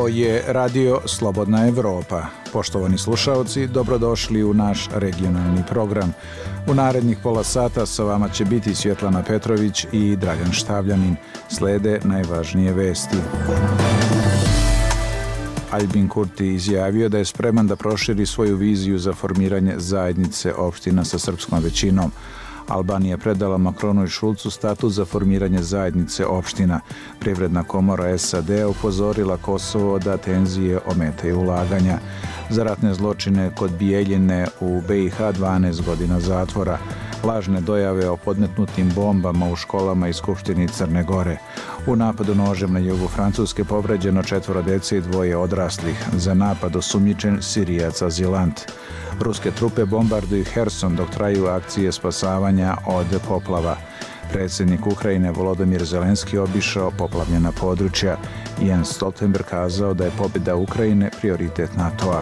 Ovo je Radio Slobodna Evropa. Poštovani slušaoci, dobrodošli u naš regionalni program. U narednih pola sata sa vama će biti Svjetlana Petrović i Dragan Štavljanin. Slede najvažnije vesti. Albin Kurti izjavio da je spreman da proširi svoju viziju za formiranje zajednice opština sa srpskom većinom. Albanija predala Makronu i Šulcu statut za formiranje zajednice opština. Privredna komora SAD upozorila Kosovo da tenzije ometaju ulaganja. Za ratne zločine kod Bijeljine u BiH 12 godina zatvora. Lažne dojave o podmetnutim bombama u školama i Skupštini Crne Gore. U napadu nožem na jugu Francuske povređeno 4 dece i 2 odraslih. Za napad osumnjičen Sirijac azilant. Ruske trupe bombarduju Herson dok traju akcije spasavanja od poplava. Predsjednik Ukrajine Volodymyr Zelenski obišao poplavljena područja. Jens Stoltenberg kazao da je pobjeda Ukrajine prioritet NATO-a.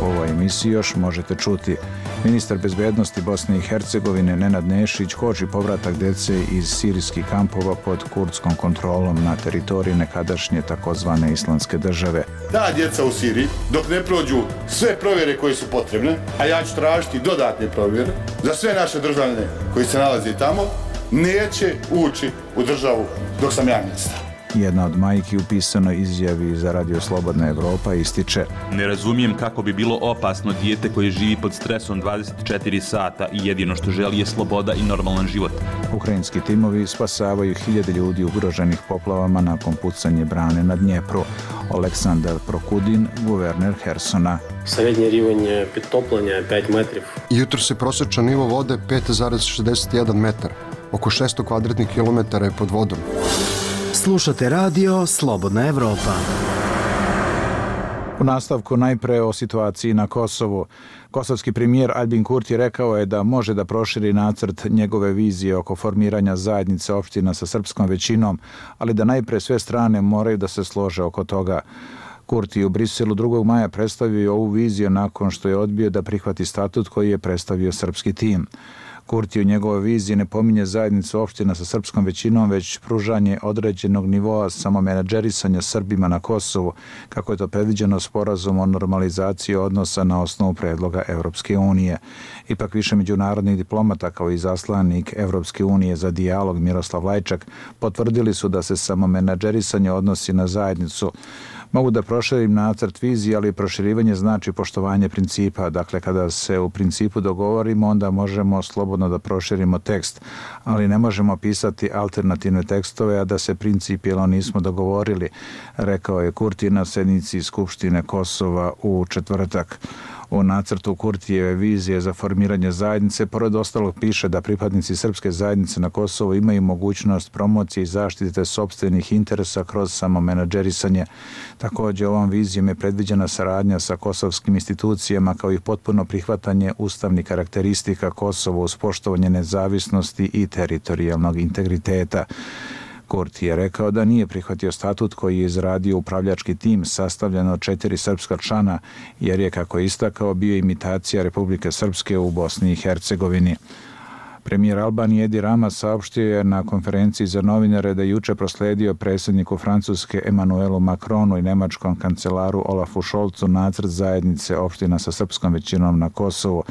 U ovoj emisiji još možete čuti: ministar bezbednosti Bosne i Hercegovine Nenad Nešić koči povratak dece iz sirijskih kampova pod kurdskom kontrolom na teritoriji nekadašnje takozvane Islamske države. Ta djeca u Siriji, dok ne prođu sve provjere koje su potrebne, a ja ću tražiti dodatne provjere za sve naše državljane koji se nalaze tamo, neće ući u državu dok sam ja ministar. Jedna od majki u pisanoj izjavi za Radio Slobodna Evropa ističe: ne razumijem kako bi bilo opasno dijete koje živi pod stresom 24 sata i jedino što želi je sloboda i normalan život. Ukrajinski timovi spasavaju 1000 ljudi ugroženih poplavama nakon pucanje brane na Dnjepru. Oleksandar Prokudin, guverner Hersona. Srednji rivanj pritoplanja je 5 metrov. Jutro se prosječan nivo vode 5,61 metar. Oko 600 kvadratnih kilometara je pod vodom. Slušate Radio Slobodna Evropa. U nastavku najpre o situaciji na Kosovu. Kosovski premijer Albin Kurti rekao je da može da proširi nacrt njegove vizije oko formiranja zajednice opština sa srpskom većinom, ali da najpre sve strane moraju da se slože oko toga. Kurti u Briselu 2. maja predstavio ovu viziju nakon što je odbio da prihvati statut koji je predstavio srpski tim. Kurti u njegovoj viziji ne pominje zajednicu opština sa srpskom većinom, već pružanje određenog nivoa samomenadžerisanja Srbima na Kosovu, kako je to predviđeno sporazumom o normalizaciji odnosa na osnovu predloga Evropske unije. Ipak više međunarodnih diplomata kao i zaslanik Evropske unije za dijalog Miroslav Lajčak potvrdili su da se samomenadžerisanje odnosi na zajednicu. Mogu da proširim nacrt vizije, ali proširivanje znači poštovanje principa. Dakle, kada se u principu dogovorimo, onda možemo slobodno da proširimo tekst, ali ne možemo pisati alternativne tekstove, a da se principijelno nismo dogovorili, rekao je Kurti na sednici Skupštine Kosova u četvrtak. U nacrtu Kurtijeve vizije za formiranje zajednice, pored ostalog piše da pripadnici srpske zajednice na Kosovu imaju mogućnost promocije i zaštite sopstvenih interesa kroz samomenadžerisanje. Također, ovom vizijom je predviđena saradnja sa kosovskim institucijama kao i potpuno prihvatanje ustavnih karakteristika Kosova uz poštovanje nezavisnosti i teritorijalnog integriteta. Kurti je rekao da nije prihvatio statut koji je izradio upravljački tim sastavljen od 4 srpska člana, jer je, kako je istakao, bio imitacija Republike Srpske u Bosni i Hercegovini. Premijer Albanije Edi Rama saopštio je na konferenciji za novinare da je juče prosledio predsjedniku Francuske Emmanuelu Macronu i nemačkom kancelaru Olafu Scholzu nacrt zajednice opština sa srpskom većinom na Kosovu.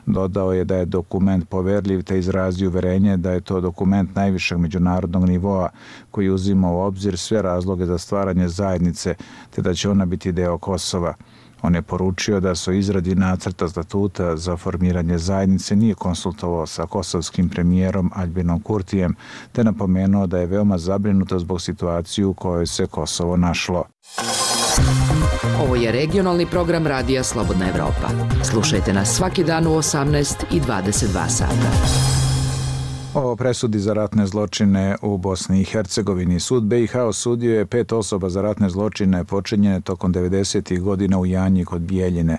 Dodao je da je dokument poverljiv te izrazio uverenje da je to dokument najvišeg međunarodnog nivoa koji uzima u obzir sve razloge za stvaranje zajednice te da će ona biti deo Kosova. On je poručio da se o izradi nacrta statuta za formiranje zajednice nije konsultovao sa kosovskim premijerom Albinom Kurtijem, te napomenuo da je veoma zabrinuto zbog situacije u kojoj se Kosovo našlo. Ovo je regionalni program Radija Slobodna Evropa. Slušajte nas svaki dan u 18 i 22 sata. O presudi za ratne zločine u Bosni i Hercegovini. Sud BiH osudio je 5 osoba za ratne zločine počinjene tokom 90. godina u Janji kod Bijeljine.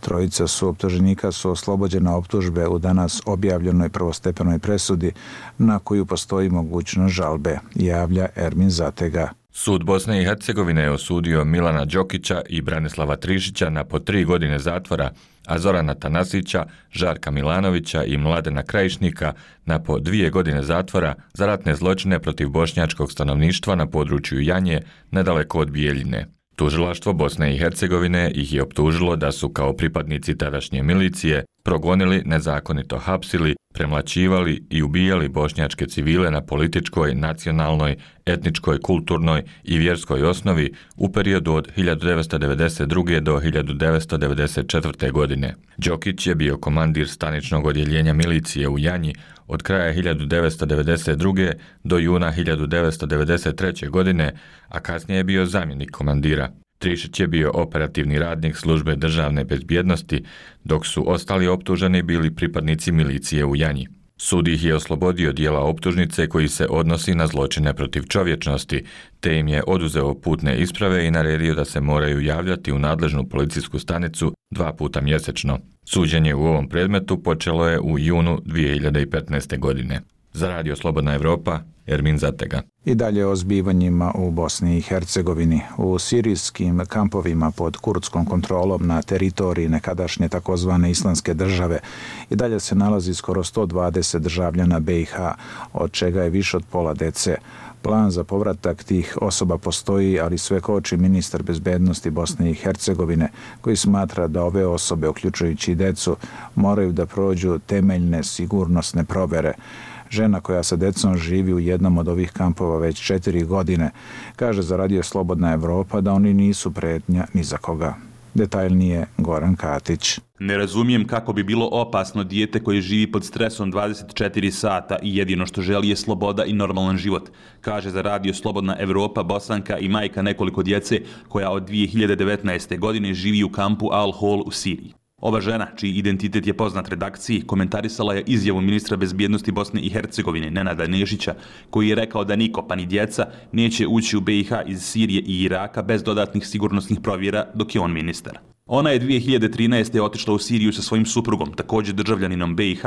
3 su optuženika su oslobođena optužbe u danas objavljenoj prvostepenoj presudi na koju postoji mogućnost žalbe, javlja Ermin Zatega. Sud Bosne i Hercegovine je osudio Milana Đokića i Branislava Trišića na po 3 godine zatvora, a Zorana Tanasića, Žarka Milanovića i Mladena Krajišnika na po 2 godine zatvora za ratne zločine protiv bošnjačkog stanovništva na području Janje, nedaleko od Bijeljine. Tužilaštvo Bosne i Hercegovine ih je optužilo da su kao pripadnici tadašnje milicije progonili, nezakonito hapsili, premlaćivali i ubijali bošnjačke civile na političkoj, nacionalnoj, etničkoj, kulturnoj i vjerskoj osnovi u periodu od 1992. do 1994. godine. Đokić je bio komandir staničnog odjeljenja milicije u Janji od kraja 1992. do juna 1993. godine, a kasnije je bio zamjenik komandira. Trišić je bio operativni radnik službe državne bezbjednosti, dok su ostali optuženi bili pripadnici milicije u Janji. Sud ih je oslobodio dijela optužnice koji se odnosi na zločine protiv čovječnosti, te im je oduzeo putne isprave i naredio da se moraju javljati u nadležnu policijsku stanicu 2 puta mjesečno. Suđenje u ovom predmetu počelo je u junu 2015. godine. Za Radio Slobodna Evropa, Ermin Zatega. I dalje o zbivanjima u Bosni i Hercegovini. U sirijskim kampovima pod kurdskom kontrolom na teritoriji nekadašnje takozvane Islamske države i dalje se nalazi skoro 120 državljana BiH, od čega je više od pola dece. Plan za povratak tih osoba postoji, ali sve koči ministar bezbednosti Bosne i Hercegovine, koji smatra da ove osobe, uključujući i decu, moraju da prođu temeljne sigurnosne provjere. Žena koja sa decom živi u jednom od ovih kampova već 4 godine, kaže za Radio Slobodna Evropa da oni nisu pretnja ni za koga. Detaljnije Goran Katić. Ne razumijem kako bi bilo opasno dijete koje živi pod stresom 24 sata i jedino što želi je sloboda i normalan život, kaže za Radio Slobodna Evropa Bosanka i majka nekoliko djece koja od 2019. godine živi u kampu Al-Hol u Siriji. Ova žena, čiji identitet je poznat redakciji, komentarisala je izjavu ministra bezbjednosti Bosne i Hercegovine, Nenada Nešića, koji je rekao da niko, pa ni djeca, neće ući u BiH iz Sirije i Iraka bez dodatnih sigurnosnih provjera dok je on ministar. Ona je 2013. otišla u Siriju sa svojim suprugom, također državljaninom BiH,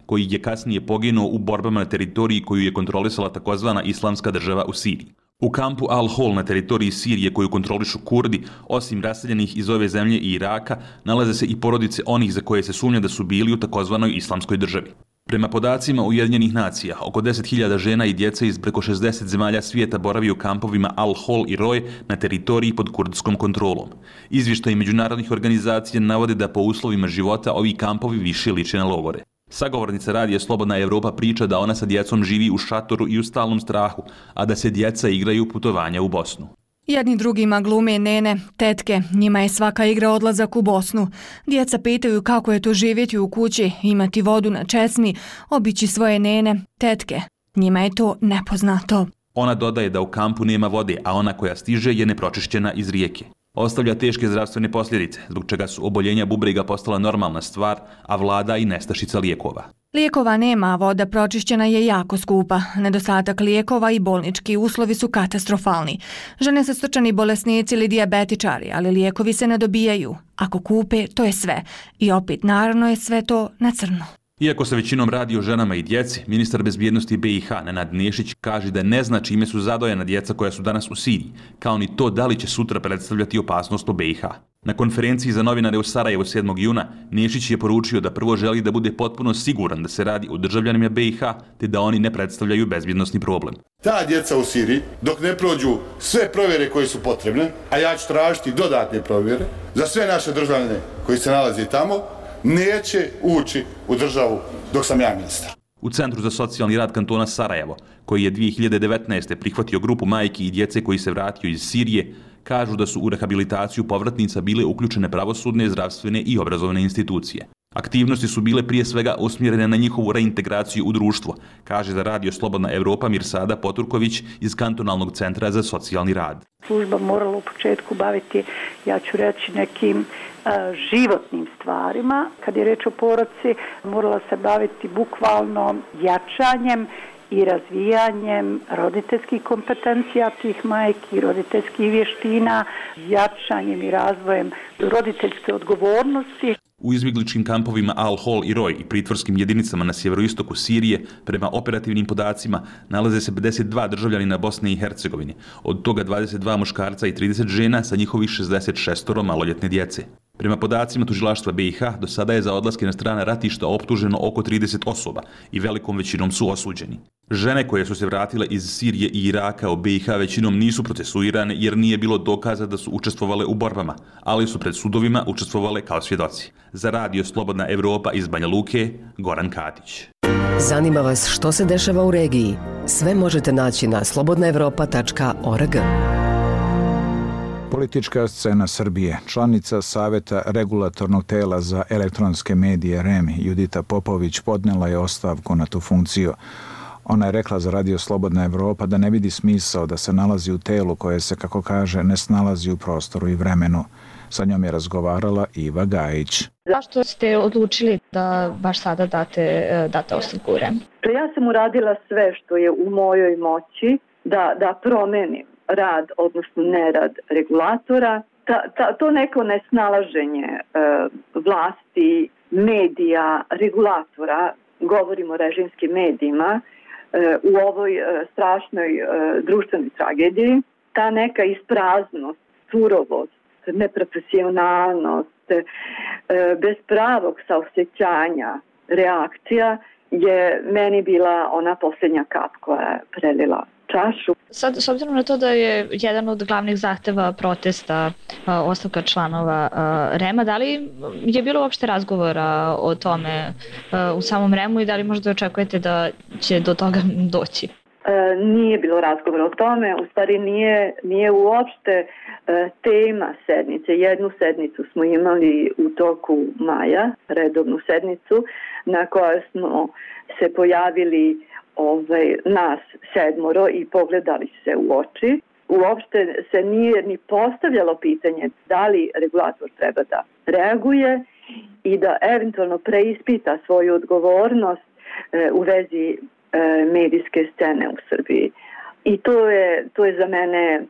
koji je kasnije poginuo u borbama na teritoriji koju je kontrolisala takozvana Islamska država u Siriji. U kampu Al-Hol na teritoriji Sirije koju kontrolišu Kurdi, osim raseljenih iz ove zemlje i Iraka, nalaze se i porodice onih za koje se sumnja da su bili u takozvanoj Islamskoj državi. Prema podacima Ujedinjenih nacija, oko 10.000 žena i djece iz preko 60 zemalja svijeta boravi u kampovima Al-Hol i Roj na teritoriji pod kurdskom kontrolom. Izvještaji međunarodnih organizacija navode da po uslovima života ovi kampovi više liče na logore. Sagovornica Radija Slobodna Evropa priča da ona sa djecom živi u šatoru i u stalnom strahu, a da se djeca igraju putovanja u Bosnu. Jedni drugima glume nene, tetke, njima je svaka igra odlazak u Bosnu. Djeca pitaju kako je to živjeti u kući, imati vodu na česmi, obići svoje nene, tetke. Njima je to nepoznato. Ona dodaje da u kampu nema vode, a ona koja stiže je nepročišćena iz rijeke. Ostavlja teške zdravstvene posljedice, zbog čega su oboljenja bubrega postala normalna stvar, a vlada i nestašica lijekova. Lijekova nema, a voda pročišćena je jako skupa. Nedostatak lijekova i bolnički uslovi su katastrofalni. Žene su srčani bolesnici ili dijabetičari, ali lijekovi se ne dobijaju. Ako kupe, to je sve. I opet, naravno je sve to na crno. Iako se većinom radi o ženama i djeci, ministar bezbjednosti BiH Nenad Nešić kaže da ne zna čime su zadojena djeca koja su danas u Siriji, kao ni to da li će sutra predstavljati opasnost u BiH. Na konferenciji za novinare u Sarajevu 7. juna Nešić je poručio da prvo želi da bude potpuno siguran da se radi o državljanima BiH, te da oni ne predstavljaju bezbjednosni problem. Ta djeca u Siriji, dok ne prođu sve provjere koje su potrebne, a ja ću tražiti dodatne provjere za sve naše državljane koji se nalaze tamo, neće ući u državu dok sam ja ministar. U Centru za socijalni rad kantona Sarajevo, koji je 2019. prihvatio grupu majki i djece koji se vratio iz Sirije, kažu da su u rehabilitaciju povratnica bile uključene pravosudne, zdravstvene i obrazovne institucije. Aktivnosti su bile prije svega usmjerene na njihovu reintegraciju u društvo, kaže za Radio Slobodna Evropa Mirsada Poturković iz Kantonalnog centra za socijalni rad. Služba morala u početku baviti, ja ću reći, nekim životnim stvarima. Kad je reč o porodci, morala se baviti bukvalno jačanjem i razvijanjem roditeljskih kompetencija tih majki, roditeljskih vještina, jačanjem i razvojem roditeljske odgovornosti. U izbjegličkim kampovima Al-Hol i Roj i pritvorskim jedinicama na sjeveroistoku Sirije, prema operativnim podacima, nalaze se 52 državljanina Bosne i Hercegovine, od toga 22 muškarca i 30 žena sa njihovih 66 maloljetne djece. Prema podacima tužilaštva BiH, do sada je za odlaske na strana ratišta optuženo oko 30 osoba i velikom većinom su osuđeni. Žene koje su se vratile iz Sirije i Iraka u BiH većinom nisu procesuirane jer nije bilo dokaza da su učestvovale u borbama, ali su pred sudovima učestvovale kao svjedoci. Za Radio Slobodna Evropa iz Banja Luke, Goran Katić. Zanima vas što se dešava u regiji? Sve možete naći na slobodnaevropa.org. Politička scena Srbije. Članica Saveta regulatornog tela za elektronske medije REM Judita Popović podnela je ostavku na tu funkciju. Ona je rekla za Radio Slobodna Evropa da ne vidi smisao da se nalazi u telu koje se, kako kaže, ne snalazi u prostoru i vremenu. Sa njom je razgovarala Iva Gajić. Zašto ste odlučili da baš sada date ostavku u REM? Ja sam uradila sve što je u mojoj moći da promenim rad, odnosno nerad regulatora. To neko nesnalaženje vlasti, medija, regulatora, govorimo o režimskim medijima, u ovoj strašnoj društvenoj tragediji, ta neka ispraznost, surovost, neprofesionalnost, bez pravog saosjećanja, reakcija je meni bila ona posljednja kap koja je prelila čašu. Sad, s obzirom na to da je jedan od glavnih zahteva protesta ostavka članova REM-a, da li je bilo uopšte razgovora o tome u samom REM-u i da li možda očekujete da će do toga doći? Nije bilo razgovora o tome, u stvari nije uopšte tema sednice. Jednu sednicu smo imali u toku maja, redovnu sednicu, na kojoj smo se pojavili nas 7 i pogledali se u oči. Uopšte se nije ni postavljalo pitanje da li regulator treba da reaguje i da eventualno preispita svoju odgovornost u vezi medijske scene u Srbiji. I to je za mene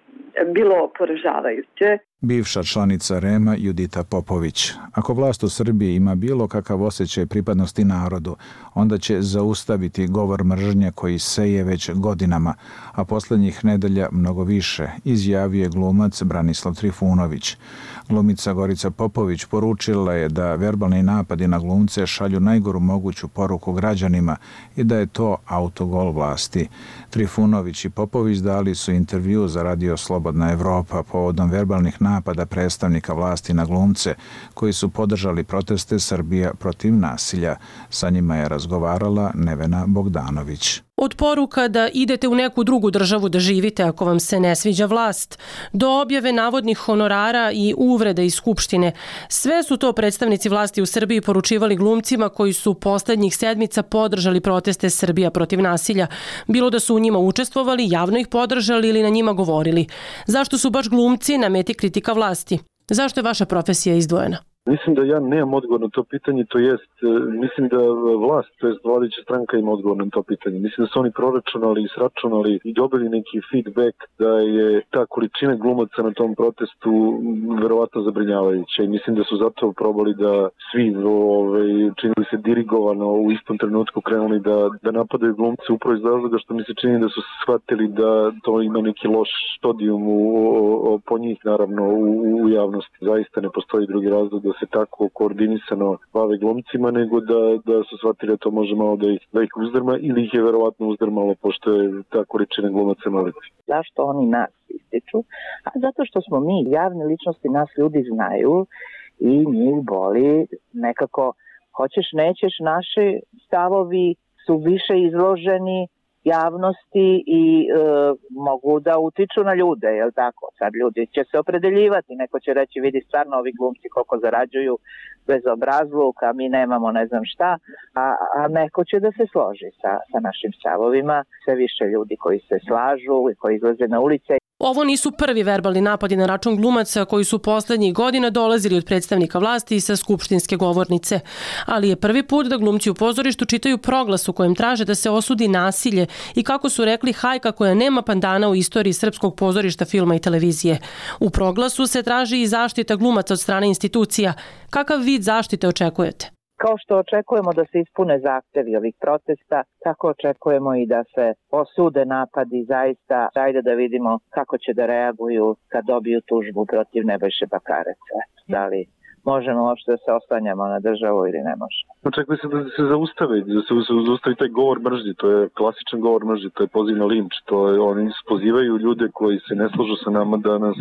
bilo poražavajuće. Bivša članica REM-a Judita Popović. Ako vlast u Srbiji ima bilo kakav osjećaj pripadnosti narodu, onda će zaustaviti govor mržnje koji seje već godinama, a posljednjih nedelja mnogo više, izjavio je glumac Branislav Trifunović. Glumica Gorica Popović poručila je da verbalni napadi na glumce šalju najgoru moguću poruku građanima i da je to autogol vlasti. Trifunović i Popović dali su intervju za Radio Slobodna Evropa povodom verbalnih napada predstavnika vlasti na glumce koji su podržali proteste Srbija protiv nasilja. Sa njima je razgovarala Nevena Bogdanović. Od poruka da idete u neku drugu državu da živite ako vam se ne sviđa vlast, do objave navodnih honorara i uvreda iz Skupštine. Sve su to predstavnici vlasti u Srbiji poručivali glumcima koji su poslednjih sedmica podržali proteste Srbija protiv nasilja. Bilo da su u njima učestvovali, javno ih podržali ili na njima govorili. Zašto su baš glumci na meti kritika vlasti? Zašto je vaša profesija izdvojena? Mislim da ja nemam odgovor na to pitanje, to jest, mislim da vlast, to jest vladajuća stranka ima odgovor na to pitanje. Mislim da su oni proračunali i sračunali i dobili neki feedback da je ta količina glumaca na tom protestu verovatno zabrinjavajuća i mislim da su zato probali da svi činili se dirigovano u istom trenutku krenuli da napadaju glumce upravo iz razloga što mi se čini da su shvatili da to ima neki loš stodijum po njih naravno u javnosti. Zaista ne postoji drugi razlog da se tako koordinisano bave glumcima, nego da su shvatili da to može malo da ih uzdrma ili ih je verovatno uzdrmalo, pošto je ta količina glumaca maliti. Zašto oni nas ističu? A zato što smo mi javne ličnosti, nas ljudi znaju i njih boli nekako, hoćeš nećeš, naši stavovi su više izloženi javnosti i mogu da utiču na ljude, jel tako? Sad ljudi će se opredeljivati, neko će reći vidi stvarno ovi glumci koliko zarađuju bez obrazluka, a mi nemamo ne znam šta, a neko će da se složi sa našim stavovima, sve više ljudi koji se slažu i koji izlaze na ulice. Ovo nisu prvi verbalni napadi na račun glumaca koji su poslednjih godina dolazili od predstavnika vlasti i sa skupštinske govornice. Ali je prvi put da glumci u pozorištu čitaju proglas u kojem traže da se osudi nasilje i, kako su rekli, hajka koja nema pandana u istoriji srpskog pozorišta, filma i televizije. U proglasu se traži i zaštita glumaca od strane institucija. Kakav vid zaštite očekujete? Kao što očekujemo da se ispune zahtevi ovih protesta, tako očekujemo i da se osude napadi zaista. Ajde da vidimo kako će da reaguju kad dobiju tužbu protiv Nebojše Bakareca. Da li možemo uopšte da se oslanjamo na državu ili ne možemo. Očekuje se da se zaustavi taj govor mržnje, to je klasičan govor mržnje, to je poziv na linč, oni pozivaju ljude koji se ne slažu sa nama da nas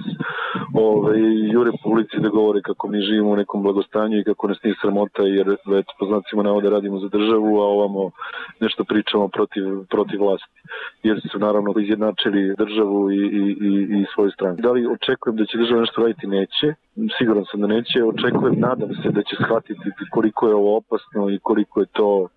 jure po ulici da govore kako mi živimo u nekom blagostanju i kako nas nije sramota, jer po znacima navoda radimo za državu, a ovamo nešto pričamo protiv vlasti, jer su naravno izjednačili državu i svoju stranu. Da li očekujem da će država nešto raditi? Neće. Siguran sam da neće. Očekujem, nadam se da će shvatiti koliko je ovo opasno i koliko je to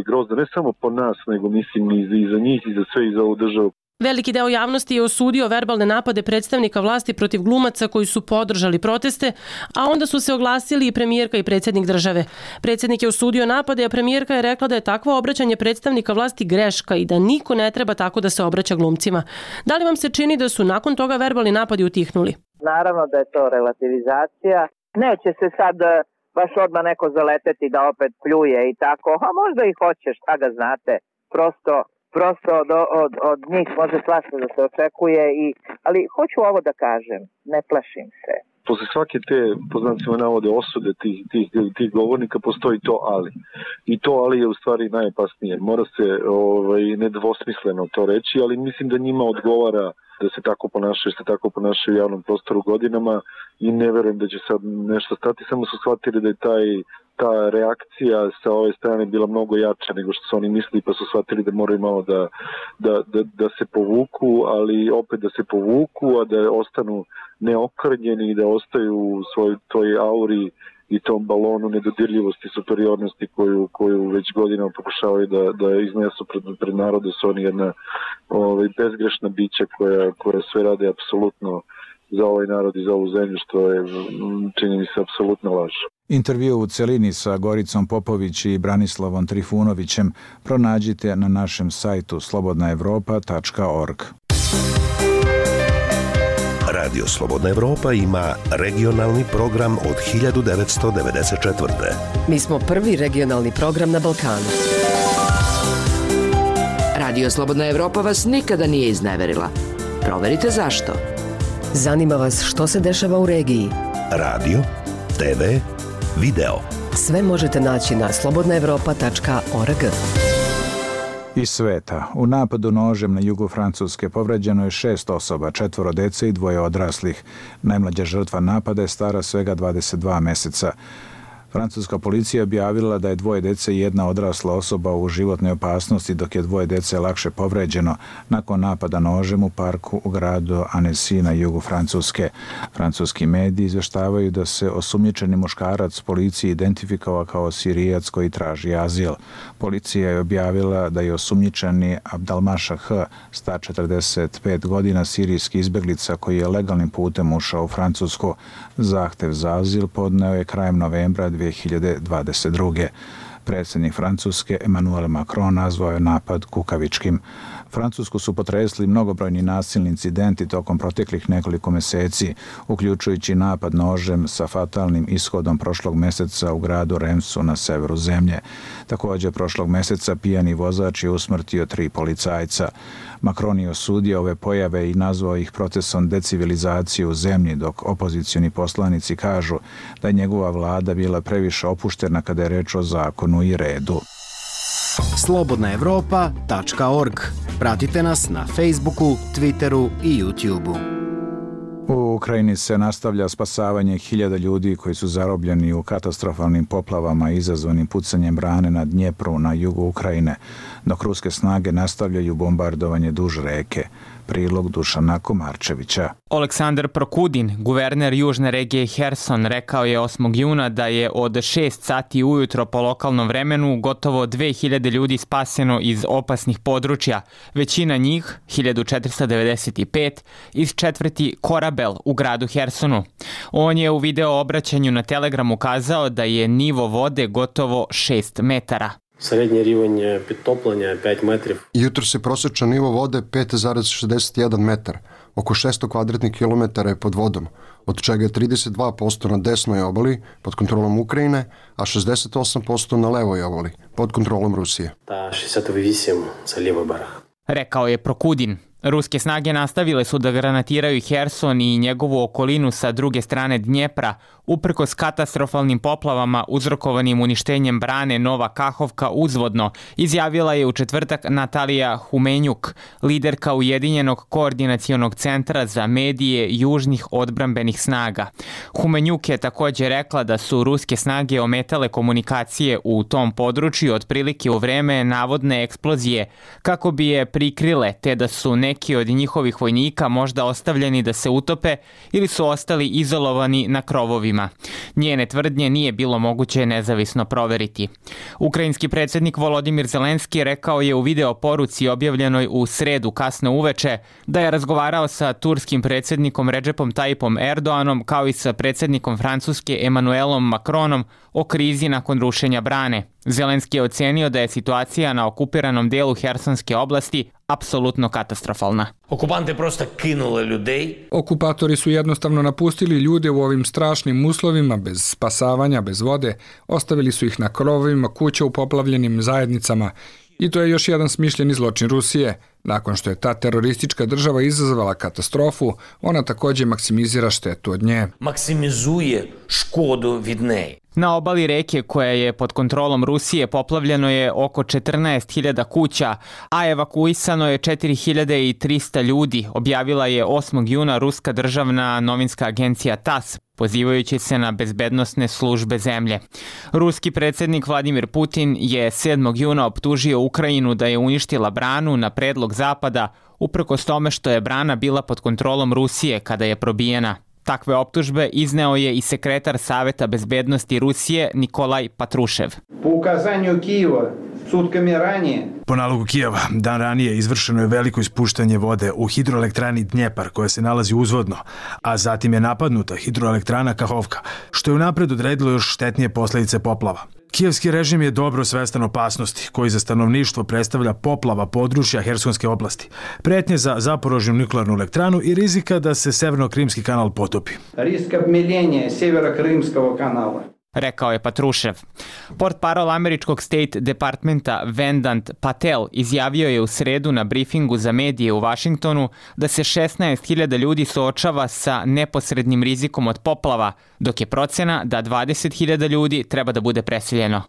grozno, ne samo po nas, nego mislim i za njih i za sve i za ovu državu. Veliki deo javnosti je osudio verbalne napade predstavnika vlasti protiv glumaca koji su podržali proteste, a onda su se oglasili i premijerka i predsjednik države. Predsjednik je osudio napade, a premijerka je rekla da je takvo obraćanje predstavnika vlasti greška i da niko ne treba tako da se obraća glumcima. Da li vam se čini da su nakon toga verbalni napadi utihnuli? Naravno da je to relativizacija. Neće se sad baš odmah neko zaleteti da opet pljuje i tako. A možda i hoće, šta ga znate. Prosto od njih može svašta da se očekuje. Ali hoću ovo da kažem, ne plašim se. Posle svake te, po znacima navode, osude tih govornika postoji to ali. I to ali je u stvari najopasnije. Mora se nedvosmisleno to reći, ali mislim da njima odgovara da se tako ponašaju u javnom prostoru godinama i ne verujem da će sad nešto stati. Samo su shvatili da je ta reakcija sa ove strane bila mnogo jača nego što su oni mislili, pa su shvatili da moraju malo da se povuku, ali opet da se povuku, a da ostanu neokrnjeni i da ostaju u svojoj toj auri i tom balonu nedodirljivosti i superiornosti koju već godinama pokušavaju da iznesu pred narodu. Su oni jedna bezgrešna bića koja sve rade apsolutno za ovaj narod i za ovu zemlju, što je, čini mi se, apsolutno laž. Intervju u celini sa Goricom Popović i Branislavom Trifunovićem pronađite na našem sajtu slobodnaevropa.org. Radio Slobodna Evropa ima regionalni program od 1994. Mi smo prvi regionalni program na Balkanu. Radio Slobodna Evropa vas nikada nije izneverila. Proverite zašto. Zanima vas što se dešava u regiji. Radio, TV, video. Sve možete naći na slobodnaevropa.org. Iz sveta. U napadu nožem na jugu Francuske povređeno je 6 osoba, 4 dece i 2 odraslih. Najmlađa žrtva napada je stara svega 22 meseca. Francuska policija objavila da je 2 dece i 1 odrasla osoba u životnoj opasnosti, dok je 2 dece lakše povređeno nakon napada nožem u parku u gradu Annecy na jugu Francuske. Francuski mediji izveštavaju da se osumnjičeni muškarac policiji identifikovao kao Sirijac koji traži azil. Policija je objavila da je osumnjičeni Abdelmašah H, star 45 godina, sirijski izbeglica koji je legalnim putem ušao u Francusku. Zahtev za azil podneo je krajem novembra 2022. Predsjednik Francuske Emmanuel Macron nazvao je napad kukavičkim. Francusku su potresli mnogobrojni nasilni incidenti tokom proteklih nekoliko meseci, uključujući napad nožem sa fatalnim ishodom prošlog meseca u gradu Remsu na severu zemlje. Također prošlog meseca pijani vozač je usmrtio 3 policajca. Macron je osudio ove pojave i nazvao ih procesom decivilizacije u zemlji, dok opozicioni poslanici kažu da je njegova vlada bila previše opuštena kada je reč o zakonu i redu. slobodnaevropa.org. Pratite nas na Facebooku, Twitteru i YouTubeu. U Ukrajini se nastavlja spasavanje 1000 ljudi koji su zarobljeni u katastrofalnim poplavama izazvanim pucanjem brane na Dnjepru na jugu Ukrajine, dok ruske snage nastavljaju bombardovanje duž reke. Prilog Dušana Komarčevića. Aleksandar Prokudin, guverner južne regije Herson, rekao je 8. juna da je od 6 sati ujutro po lokalnom vremenu gotovo 2000 ljudi spaseno iz opasnih područja, većina njih, 1495, iz četvrti Korabel u gradu Hersonu. On je u video obraćanju na Telegramu kazao da je nivo vode gotovo 6 metara. Srednji rivanje pritoplanja je 5 metrov. Jutro se prosječan nivo vode 5,61 metar. Oko 600 kvadratnih kilometara je pod vodom, od čega je 32% na desnoj obali pod kontrolom Ukrajine, a 68% na levoj obali pod kontrolom Rusije. Ta 68 za levoj barah. Rekao je Prokudin. Ruske snage nastavile su da granatiraju Herson i njegovu okolinu sa druge strane Dnjepra, uprkos katastrofalnim poplavama uzrokovanim uništenjem brane Nova Kahovka uzvodno, izjavila je u četvrtak Natalija Humenjuk, liderka Ujedinjenog koordinacionog centra za medije južnih odbrambenih snaga. Humenjuk je također rekla da su ruske snage ometale komunikacije u tom području otprilike u vreme navodne eksplozije, kako bi je prikrile, te da su neki od njihovih vojnika možda ostavljeni da se utope ili su ostali izolovani na krovovima. Njene tvrdnje nije bilo moguće nezavisno proveriti. Ukrajinski predsjednik Volodimir Zelenski rekao je u video poruci objavljenoj u sredu kasno uveče da je razgovarao sa turskim predsjednikom Redžepom Tajipom Erdoanom kao i sa predsjednikom Francuske Emmanuelom Macronom o krizi nakon rušenja brane. Zelenski je ocenio da je situacija na okupiranom delu Hersonske oblasti apsolutno katastrofalna. Okupante prosto kinule людей. Okupatori su jednostavno napustili ljude u ovim strašnim uslovima, bez spasavanja, bez vode, ostavili su ih na krovovima kuća u poplavljenim zajednicama. I to je još jedan smišljeni zločin Rusije. Nakon što je ta teroristička država izazvala katastrofu, ona također maksimizira štetu od nje. Maksimizuje škodu від неї. Na obali reke koja je pod kontrolom Rusije poplavljeno je oko 14.000 kuća, a evakuisano je 4.300 ljudi, objavila je 8. juna ruska državna novinska agencija TASS, pozivajući se na bezbednosne službe zemlje. Ruski predsjednik Vladimir Putin je 7. juna optužio Ukrajinu da je uništila branu na predlog Zapada, uprkos tome što je brana bila pod kontrolom Rusije kada je probijena. Takve optužbe izneo je i sekretar Saveta bezbednosti Rusije Nikolaj Patrušev. Po ukazanju Kijeva, sutkami ranije. Po nalogu Kijeva, dan ranije izvršeno je veliko ispuštanje vode u hidroelektrani Dnjepar koja se nalazi uzvodno, a zatim je napadnuta hidroelektrana Kahovka, što je unapred odredilo još štetnije posljedice poplava. Kijevski režim je dobro svestan opasnosti koji za stanovništvo predstavlja poplava područja Hersonske oblasti, pretnje za Zaporožnju nuklearnu elektranu i rizika da se Severno-Krimski kanal potopi. Risk obmiljenja Severno-Krimskog kanala. Rekao je Patrušev. Portparol američkog State Departmenta Vendant Patel izjavio je u sredu na brifingu za medije u Vašingtonu da se 16.000 ljudi suočava sa neposrednim rizikom od poplava, dok je procena da 20.000 ljudi treba da bude preseljeno.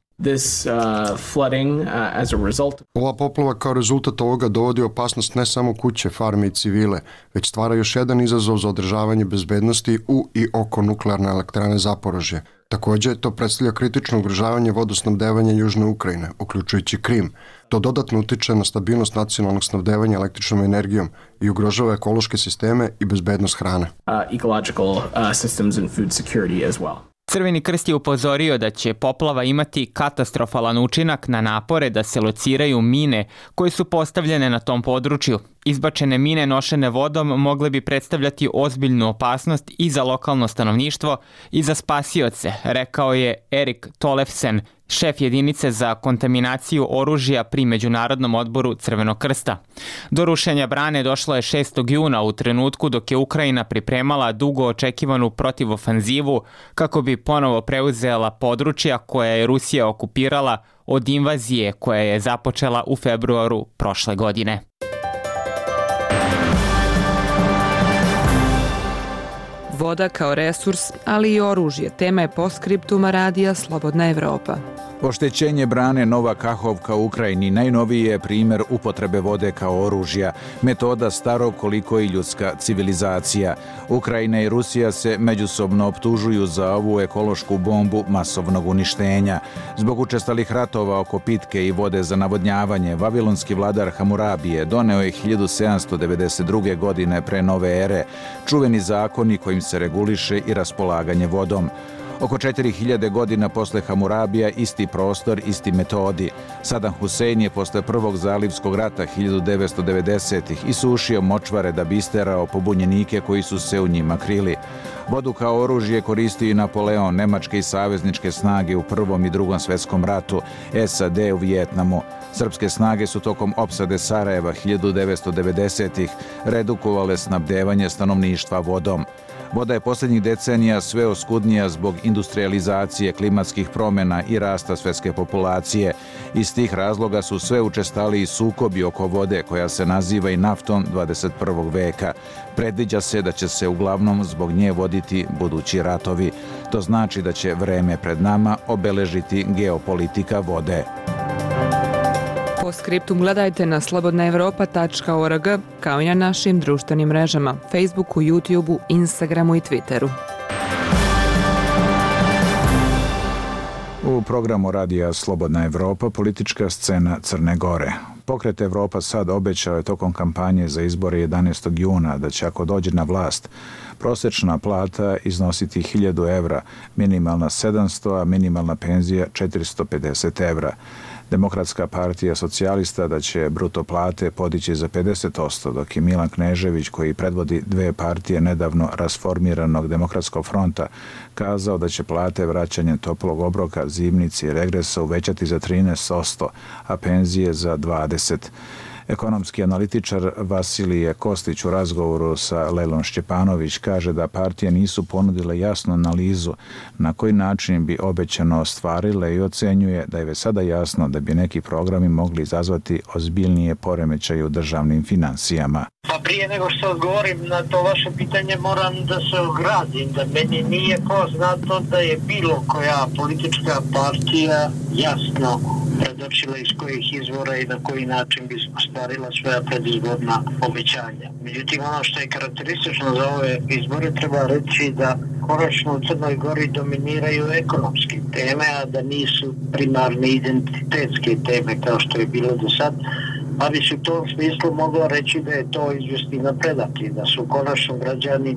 Ova poplava kao rezultat ovoga dovodi opasnost ne samo kuće, farme i civile, već stvara još jedan izazov za održavanje bezbednosti u i oko nuklearne elektrane Zaporožje. Također, to predstavlja kritično ugrožavanje vodosnabdevanja Južne Ukrajine, uključujući Krim. To dodatno utiče na stabilnost nacionalnog snabdevanja električnom energijom i ugrožava ekološke sisteme i bezbednost hrane. Crveni krst je upozorio da će poplava imati katastrofalan učinak na napore da se lociraju mine koje su postavljene na tom području. Izbačene mine nošene vodom mogle bi predstavljati ozbiljnu opasnost i za lokalno stanovništvo i za spasioce, rekao je Erik Tolefsen, šef jedinice za kontaminaciju oružja pri Međunarodnom odboru Crvenog krsta. Do rušenja brane došlo je 6. juna u trenutku dok je Ukrajina pripremala dugo očekivanu protivofanzivu kako bi ponovo preuzela područja koja je Rusija okupirala od invazije koja je započela u februaru prošle godine. Voda kao resurs, ali i oružje, tema je postskriptuma radija Slobodna Evropa. Oštećenje brane Nova Kahovka u Ukrajini najnoviji je primjer upotrebe vode kao oružja, metoda starog koliko i ljudska civilizacija. Ukrajina i Rusija se međusobno optužuju za ovu ekološku bombu masovnog uništenja. Zbog učestalih ratova oko pitke i vode za navodnjavanje, vavilonski vladar Hamurabije doneo je 1792. godine pre nove ere čuveni zakoni kojim se reguliše i raspolaganje vodom. Oko 4000 godina posle Hamurabija isti prostor, isti metodi. Saddam Husein je posle prvog zalivskog rata 1990-ih isušio močvare da bi isterao pobunjenike koji su se u njima krili. Vodu kao oružje koristio i Napoleon, nemačke i savezničke snage u Prvom i Drugom svetskom ratu, SAD u Vijetnamu. Srpske snage su tokom opsade Sarajeva 1990-ih redukovale snabdevanje stanovništva vodom. Voda je posljednjih decenija sve oskudnija zbog industrializacije, klimatskih promjena i rasta svetske populacije. Iz tih razloga su sve učestaliji sukobi oko vode koja se naziva i naftom 21. veka. Predviđa se da će se uglavnom zbog nje voditi budući ratovi. To znači da će vreme pred nama obeležiti geopolitika vode. Po skriptum gledajte na slobodnaevropa.org kao i na našim društvenim mrežama, Facebooku, YouTubeu, Instagramu i Twitteru. U programu radija Slobodna Evropa politička scena Crne Gore. Pokret Evropa sad obećao je tokom kampanje za izbore 11. juna da će ako dođe na vlast prosječna plata iznositi 1000 evra, minimalna 700, a minimalna penzija 450 evra. Demokratska partija socijalista da će bruto plate podići za 50%, dok je Milan Knežević, koji predvodi dve partije nedavno rasformiranog Demokratskog fronta, kazao da će plate vraćanjem toplog obroka, zimnici i regresa uvećati za 13%, a penzije za 20%. Ekonomski analitičar Vasilije Kostić u razgovoru sa Lejlom Šćepanović kaže da partije nisu ponudile jasnu analizu na koji način bi obećano ostvarile i ocenjuje da je već sada jasno da bi neki programi mogli izazvati ozbiljnije poremećaje u državnim financijama. Pa prije nego što odgovorim na to vaše pitanje moram da se ogradim, da meni nije poznato da je bilo koja politička partija jasno predočila iz kojih izvora i na koji način bi ostvarila svoja predizborna obećanja. Međutim, ono što je karakteristično za ove izbore treba reći da konačno u Crnoj Gori dominiraju ekonomske teme, a da nisu primarne identitetske teme kao što je bilo do sad. Pa bi se u tom smislu moglo reći da je to izvjesni napredak i da su konačno građani,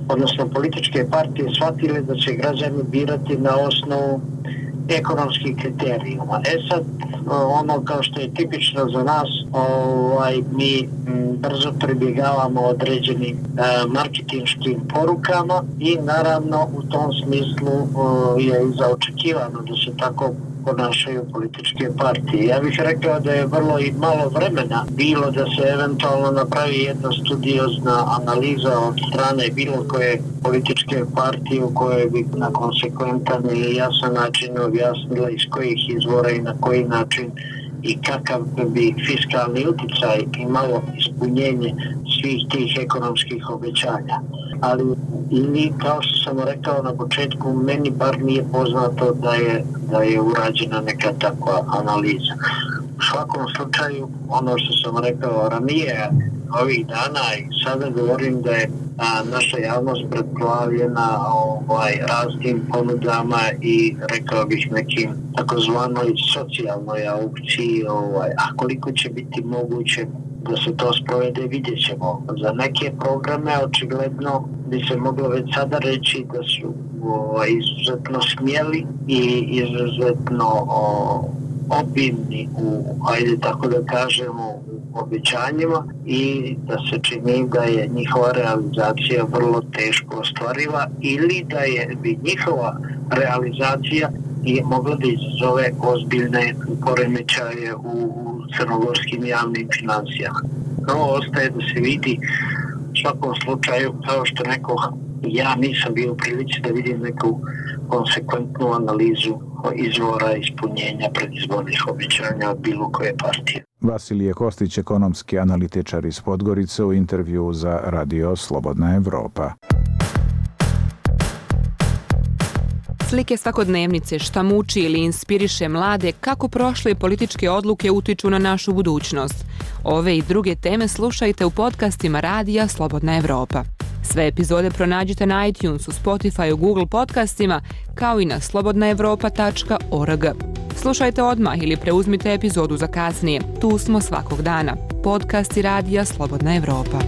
odnosno političke partije, shvatile da će građani birati na osnovu ekonomskih kriterijuma. Sad, ono kao što je tipično za nas, mi brzo pribjegavamo određenim marketinškim porukama i naravno u tom smislu je i zaočekivano da se tako ponašaju političke partije. Ja bih rekao da je vrlo i malo vremena bilo da se eventualno napravi jedna studiozna analiza od strane bilo koje političke partije u kojoj bi na konsekventan i jasan način objasnila iz kojih izvora i na koji način i kakav bi fiskalni uticaj imalo ispunjenje svih tih ekonomskih obećanja. Ali ili, kao što sam rekao na početku, meni bar nije poznato da je urađena neka takva analiza. U svakom slučaju, ono što sam rekao ranije, ovih dana i sada govorim da je naša javnost preplavljena raznim ponudama i rekao bih nekim takozvanoj socijalnoj aukciji, a koliko će biti moguće da se to sprovede, vidjet ćemo. Za neke programe očigledno bi se moglo već sada reći da su izuzetno smjeli i izuzetno obimni ajde tako da kažemo, u obećanjima i da se čini da je njihova realizacija vrlo teško ostvariva ili da bi njihova realizacija mogla da izazove ozbiljne poremećaje u crnogorskim javnim financijama. No, ostaje da se vidi u svakom slučaju, kao što nekoh, ja nisam bio u prilici da vidim neku konsekventnu analizu izvora ispunjenja predizbornih obećanja od bilo koje partije. Vasilije Kostić, ekonomski analitičar iz Podgorice, u intervju za Radio Slobodna Evropa. Slike svakodnevnice, šta muči ili inspiriše mlade, kako prošle političke odluke utiču na našu budućnost. Ove i druge teme slušajte u podcastima Radija Slobodna Evropa. Sve epizode pronađite na iTunesu, Spotifyu, Google podcastima, kao i na slobodnaevropa.org. Slušajte odmah ili preuzmite epizodu za kasnije. Tu smo svakog dana. Podcasti Radija Slobodna Evropa.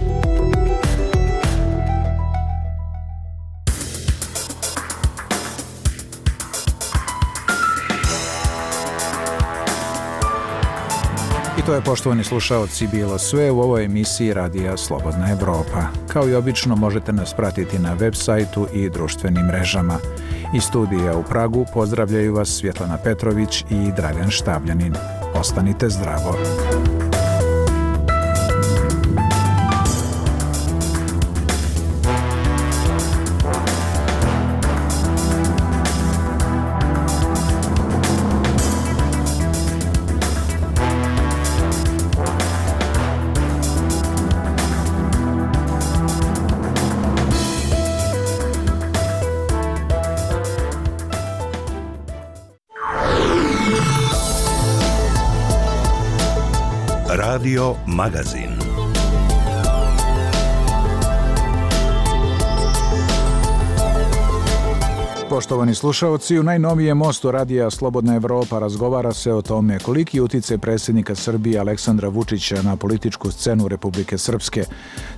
I to je, poštovani slušaoci, bilo sve u ovoj emisiji Radija Slobodna Evropa. Kao i obično možete nas pratiti na web sajtu i društvenim mrežama. Iz studija u Pragu pozdravljaju vas Svjetlana Petrović i Dragan Štabljanin. Ostanite zdravo. Radio Magazin. Poštovani slušaoci, u najnovijem mostu Radija Slobodna Evropa razgovara se o tome koliki uticaj predsjednika Srbije Aleksandra Vučića na političku scenu Republike Srpske.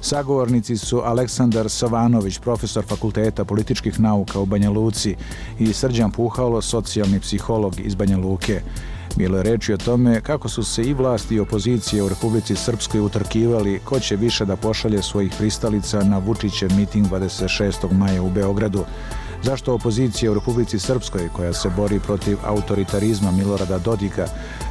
Sagovornici su Aleksandar Savanović, profesor Fakulteta političkih nauka u Banja Luci, i Srđan Puhalo, socijalni psiholog iz Banja Luke. Bilo je reči o tome kako su se i vlast i opozicija u Republici Srpskoj utrkivali ko će više da pošalje svojih pristalica na Vučićev miting 26. maja u Beogradu. Zašto opozicija u Republici Srpskoj, koja se bori protiv autoritarizma Milorada Dodika,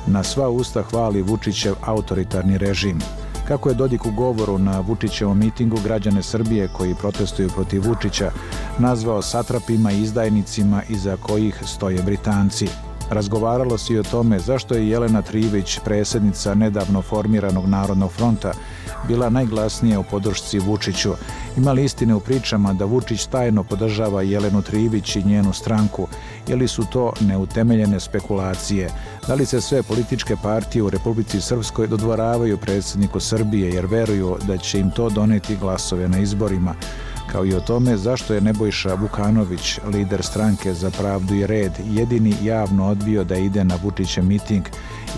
na sva usta hvali Vučićev autoritarni režim? Kako je Dodik u govoru na Vučićevom mitingu građane Srbije koji protestuju protiv Vučića nazvao satrapima i izdajnicima iza kojih stoje Britanci? Razgovaralo se i o tome zašto je Jelena Trivić, predsjednica nedavno formiranog Narodnog fronta, bila najglasnija u podršci Vučiću. Ima li istine u pričama da Vučić tajno podržava Jelenu Trivić i njenu stranku, ili su to neutemeljene spekulacije? Da li se sve političke partije u Republici Srpskoj dodvoravaju predsjedniku Srbije jer veruju da će im to doneti glasove na izborima? Kao i o tome zašto je Nebojša Vukanović, lider stranke Za pravdu i red, jedini javno odbio da ide na Vučićev miting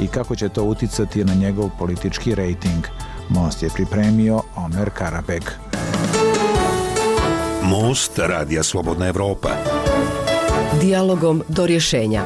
i kako će to uticati na njegov politički rejting. Most je pripremio Omer Karabek. Most Radija Slobodna Evropa. Dijalogom do rješenja.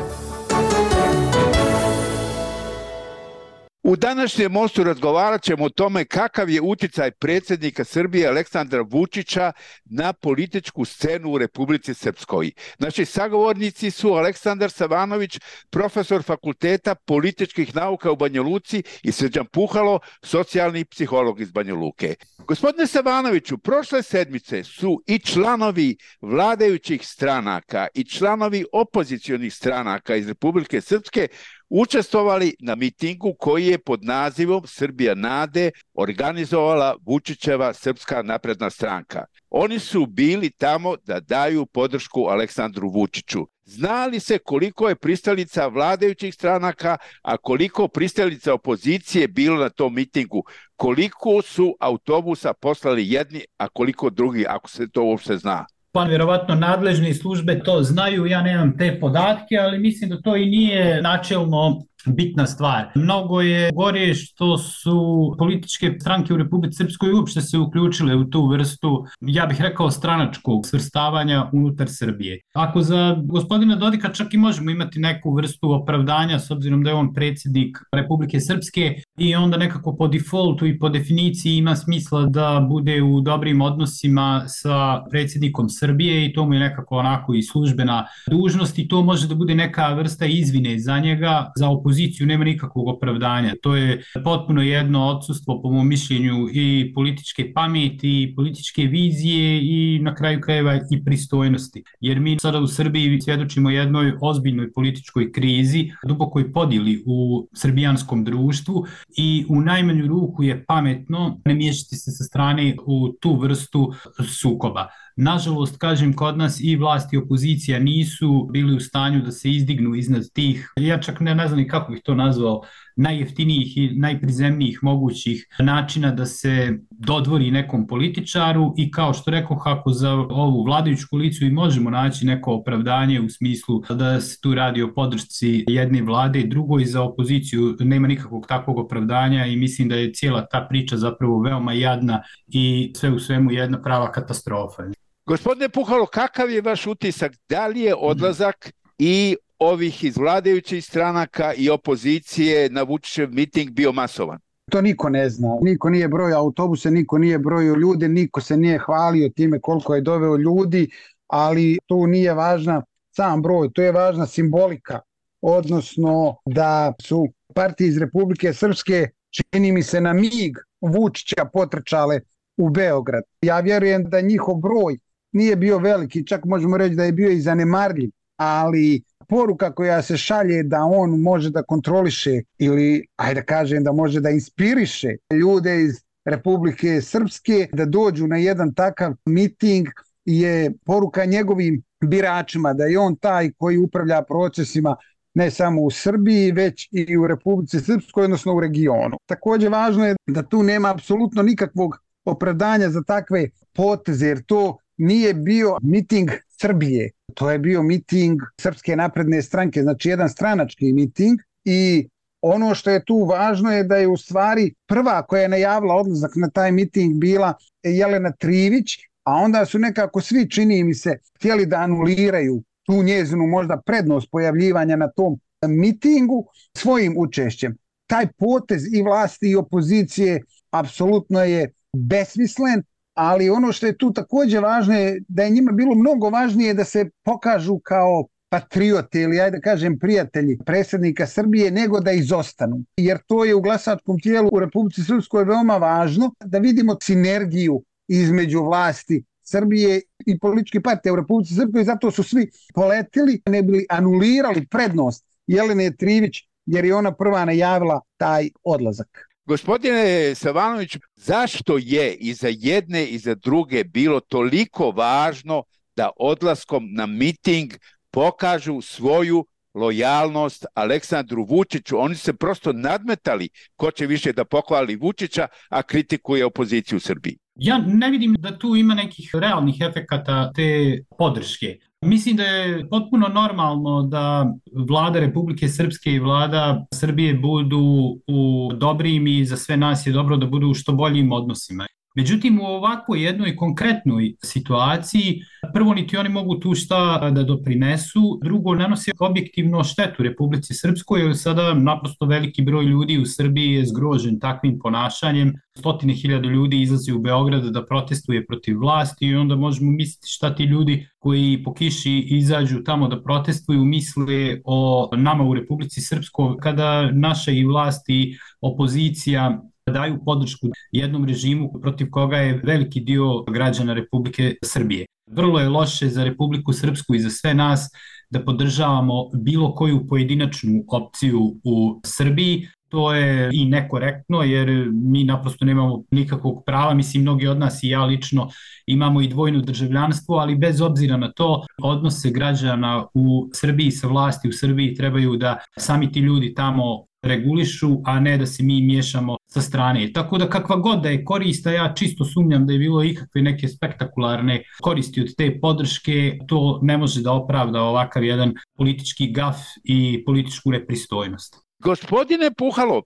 U današnjem mostu razgovarat ćemo o tome kakav je uticaj predsjednika Srbije Aleksandra Vučića na političku scenu u Republici Srpskoj. Naši sagovornici su Aleksandar Savanović, profesor Fakulteta političkih nauka u Banja Luci, i Srđan Puhalo, socijalni psiholog iz Banja Luke. Gospodine Savanoviću, prošle sedmice su i članovi vladajućih stranaka i članovi opozicionih stranaka iz Republike Srpske učestvovali na mitingu koji je pod nazivom Srbija nade organizovala Vučićeva Srpska napredna stranka. Oni su bili tamo da daju podršku Aleksandru Vučiću. Zna li se koliko je pristalica vladajućih stranaka, a koliko pristalica opozicije bilo na tom mitingu? Koliko su autobusa poslali jedni, a koliko drugi, ako se to uopšte zna? Pa vjerovatno nadležne službe to znaju, ja nemam te podatke, ali mislim da to i nije načelno bitna stvar. Mnogo je gore što su političke stranke u Republici Srpskoj uopšte se uključile u tu vrstu, ja bih rekao, stranačkog svrstavanja unutar Srbije. Ako za gospodina Dodika čak i možemo imati neku vrstu opravdanja s obzirom da je on predsjednik Republike Srpske i onda nekako po defaultu i po definiciji ima smisla da bude u dobrim odnosima sa predsjednikom Srbije i to mu je nekako onako i službena dužnost i to može da bude neka vrsta izvine za njega, za opoziciju opoziciju nema nikakvog opravdanja. To je potpuno jedno odsustvo, po mom mišljenju, i političke pameti, i političke vizije i na kraju krajeva i pristojnosti. Jer mi sada u Srbiji svjedočimo jednoj ozbiljnoj političkoj krizi, dubokoj podjeli u srbijanskom društvu i u najmanju ruku je pametno ne miješati se sa strane u tu vrstu sukoba. Nažalost, kažem, kod nas i vlast i opozicija nisu bili u stanju da se izdignu iznad tih, ja čak ne znam ni kako bih to nazvao, najjeftinijih i najprizemnijih mogućih načina da se dodvori nekom političaru i kao što rekao, kako za ovu vladajuću koaliciju i možemo naći neko opravdanje u smislu da se tu radi o podršci jedne vlade i drugoj, za opoziciju nema nikakvog takvog opravdanja i mislim da je cijela ta priča zapravo veoma jadna i sve u svemu jedna prava katastrofa. Gospodine Puhalo, kakav je vaš utisak? Da li je odlazak i ovih iz vladajućih stranaka i opozicije na Vučićev miting bio masovan? To niko ne zna. Niko nije brojao autobuse, niko nije brojao ljude, niko se nije hvalio time koliko je doveo ljudi, ali tu nije važna sam broj, to je važna simbolika, odnosno da su partije iz Republike Srpske, čini mi se, na mig Vučića potrčale u Beograd. Ja vjerujem da njihov broj nije bio veliki, čak možemo reći da je bio i zanemarljiv, ali poruka koja se šalje da on može da kontroliše ili, ajde kažem, da može da inspiriše ljude iz Republike Srpske da dođu na jedan takav miting je poruka njegovim biračima, da je on taj koji upravlja procesima ne samo u Srbiji, već i u Republici Srpskoj, odnosno u regionu. Također važno je da tu nema apsolutno nikakvog opravdanja za takve poteze, jer to nije bio miting Srbije, to je bio miting Srpske napredne stranke, znači jedan stranački miting i ono što je tu važno je da je u stvari prva koja je najavila odlazak na taj miting bila Jelena Trivić, a onda su nekako svi, čini mi se, htjeli da anuliraju tu njezinu možda prednost pojavljivanja na tom mitingu svojim učešćem. Taj potez i vlasti i opozicije apsolutno je besmislen, ali ono što je tu također važno je da je njima bilo mnogo važnije da se pokažu kao patriote ili, ajde kažem, prijatelji predsjednika Srbije, nego da izostanu. Jer to je u glasačkom tijelu u Republici Srpskoj veoma važno, da vidimo sinergiju između vlasti Srbije i političke partije u Republici Srpskoj, zato su svi poletili, ne bili anulirali prednost Jelene Trivić, jer je ona prva najavila taj odlazak. Gospodine Savanović, zašto je i za jedne i za druge bilo toliko važno da odlaskom na miting pokažu svoju lojalnost Aleksandru Vučiću? Oni se prosto nadmetali ko će više da pohvali Vučića, a kritikuje opoziciju u Srbiji. Ja ne vidim da tu ima nekih realnih efekata te podrške. Mislim da je potpuno normalno da vlada Republike Srpske i vlada Srbije budu u dobrim i za sve nas je dobro da budu u što boljim odnosima. Međutim, u ovakvoj jednoj konkretnoj situaciji, prvo niti oni mogu tu šta da doprinesu, drugo nanosi objektivno štetu Republici Srpskoj, jer sada naprosto veliki broj ljudi u Srbiji je zgrožen takvim ponašanjem. 100.000 ljudi izlazi u Beograd da protestuje protiv vlasti i onda možemo misliti šta ti ljudi koji po kiši izađu tamo da protestuju misle o nama u Republici Srpskoj, kada naša i vlast i opozicija daju podršku jednom režimu protiv koga je veliki dio građana Republike Srbije. Vrlo je loše za Republiku Srpsku i za sve nas da podržavamo bilo koju pojedinačnu opciju u Srbiji. To je i nekorektno jer mi naprosto nemamo nikakvog prava, mislim mnogi od nas i ja lično imamo i dvojno državljanstvo, ali bez obzira na to odnose građana u Srbiji sa vlasti u Srbiji trebaju da sami ti ljudi tamo regulišu, a ne da se mi miješamo sa strane. Tako da kakva god da je korist, a ja čisto sumnjam da je bilo ikakve neke spektakularne koristi od te podrške, to ne može da opravda ovakav jedan politički gaf i političku nepristojnost. Gospodine Puhalo,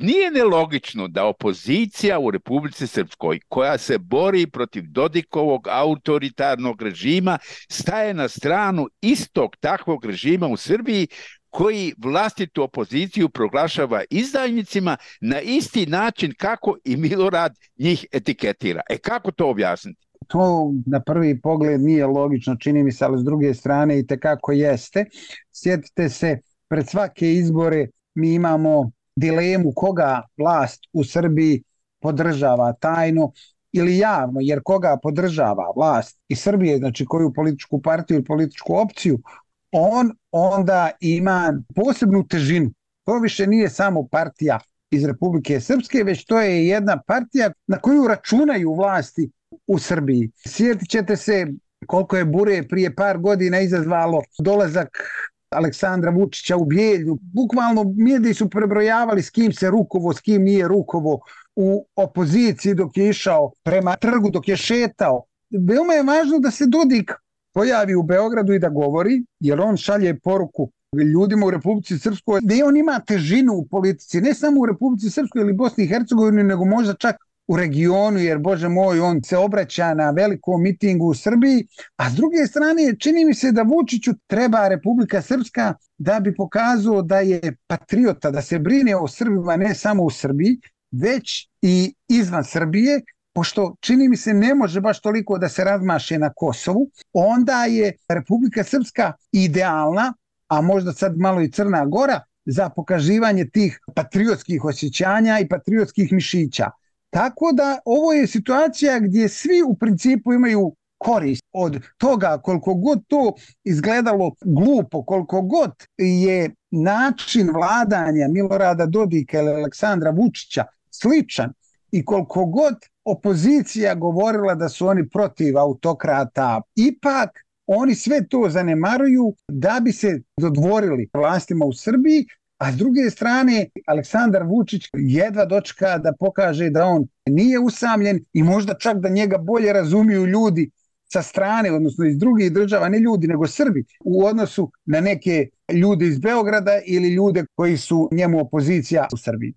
nije nelogično da opozicija u Republici Srpskoj, koja se bori protiv Dodikovog autoritarnog režima, staje na stranu istog takvog režima u Srbiji, koji vlastitu opoziciju proglašava izdajnicima na isti način kako i Milorad njih etiketira. Kako to objasniti? To na prvi pogled nije logično, čini mi se, ali s druge strane i tekako jeste. Sjetite se, pred svake izbore mi imamo dilemu koga vlast u Srbiji podržava tajno ili javno, jer koga podržava vlast iz Srbije, znači koju političku partiju ili političku opciju, on onda ima posebnu težinu. To više nije samo partija iz Republike Srpske, već to je jedna partija na koju računaju vlasti u Srbiji. Sjetit ćete se koliko je bure prije par godina izazvalo dolazak Aleksandra Vučića u Bijeljnu. Bukvalno mediji su prebrojavali s kim se rukovo, s kim nije rukovo u opoziciji dok je išao prema trgu, dok je šetao. Veoma je važno da se Dodik pojavi u Beogradu i da govori, jer on šalje poruku ljudima u Republici Srpskoj, da on ima težinu u politici, ne samo u Republici Srpskoj ili Bosni i Hercegovini, nego možda čak u regionu, jer Bože moj, on se obraća na velikom mitingu u Srbiji, a s druge strane čini mi se da Vučiću treba Republika Srpska da bi pokazao da je patriota, da se brine o Srbima ne samo u Srbiji, već i izvan Srbije, pošto čini mi se ne može baš toliko da se razmaše na Kosovu, onda je Republika Srpska idealna, a možda sad malo i Crna Gora, za pokazivanje tih patriotskih osjećanja i patriotskih mišića. Tako da ovo je situacija gdje svi u principu imaju korist od toga, koliko god to izgledalo glupo, koliko god je način vladanja Milorada Dodika ili Aleksandra Vučića sličan i koliko god opozicija govorila da su oni protiv autokrata, ipak oni sve to zanemaruju da bi se dodvorili vlastima u Srbiji, a s druge strane Aleksandar Vučić jedva dočeka da pokaže da on nije usamljen i možda čak da njega bolje razumiju ljudi sa strane, odnosno iz drugih država, ne ljudi nego Srbi, u odnosu na neke ljude iz Beograda ili ljude koji su njemu opozicija u Srbiji.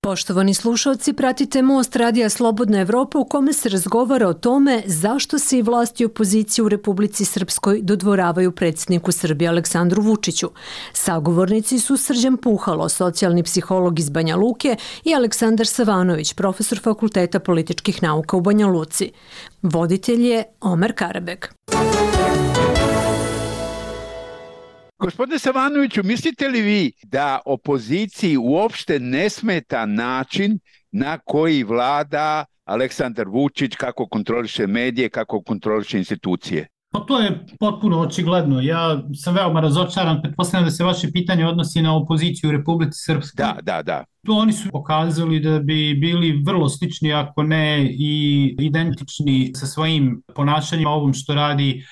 Poštovani slušalci, pratite Most Radija Slobodna Evropa u kome se razgovara o tome zašto se i vlasti i opozicije u Republici Srpskoj dodvoravaju predsjedniku Srbije Aleksandru Vučiću. Sagovornici su Srđan Puhalo, socijalni psiholog iz Banja Luke, i Aleksandar Savanović, profesor Fakulteta političkih nauka u Banja Luci. Voditelj je Omer Karabek. Gospodine Savanoviću, mislite li vi da opoziciji uopšte ne smeta način na koji vlada Aleksandar Vučić, kako kontroliše medije, kako kontroliše institucije? Pa to je potpuno očigledno. Ja sam veoma razočaran, pretpostavljam da se vaše pitanje odnosi na opoziciju u Republici Srpskoj. Da. Oni su pokazali da bi bili vrlo slični, ako ne i identični sa svojim ponašanjima ovom što radi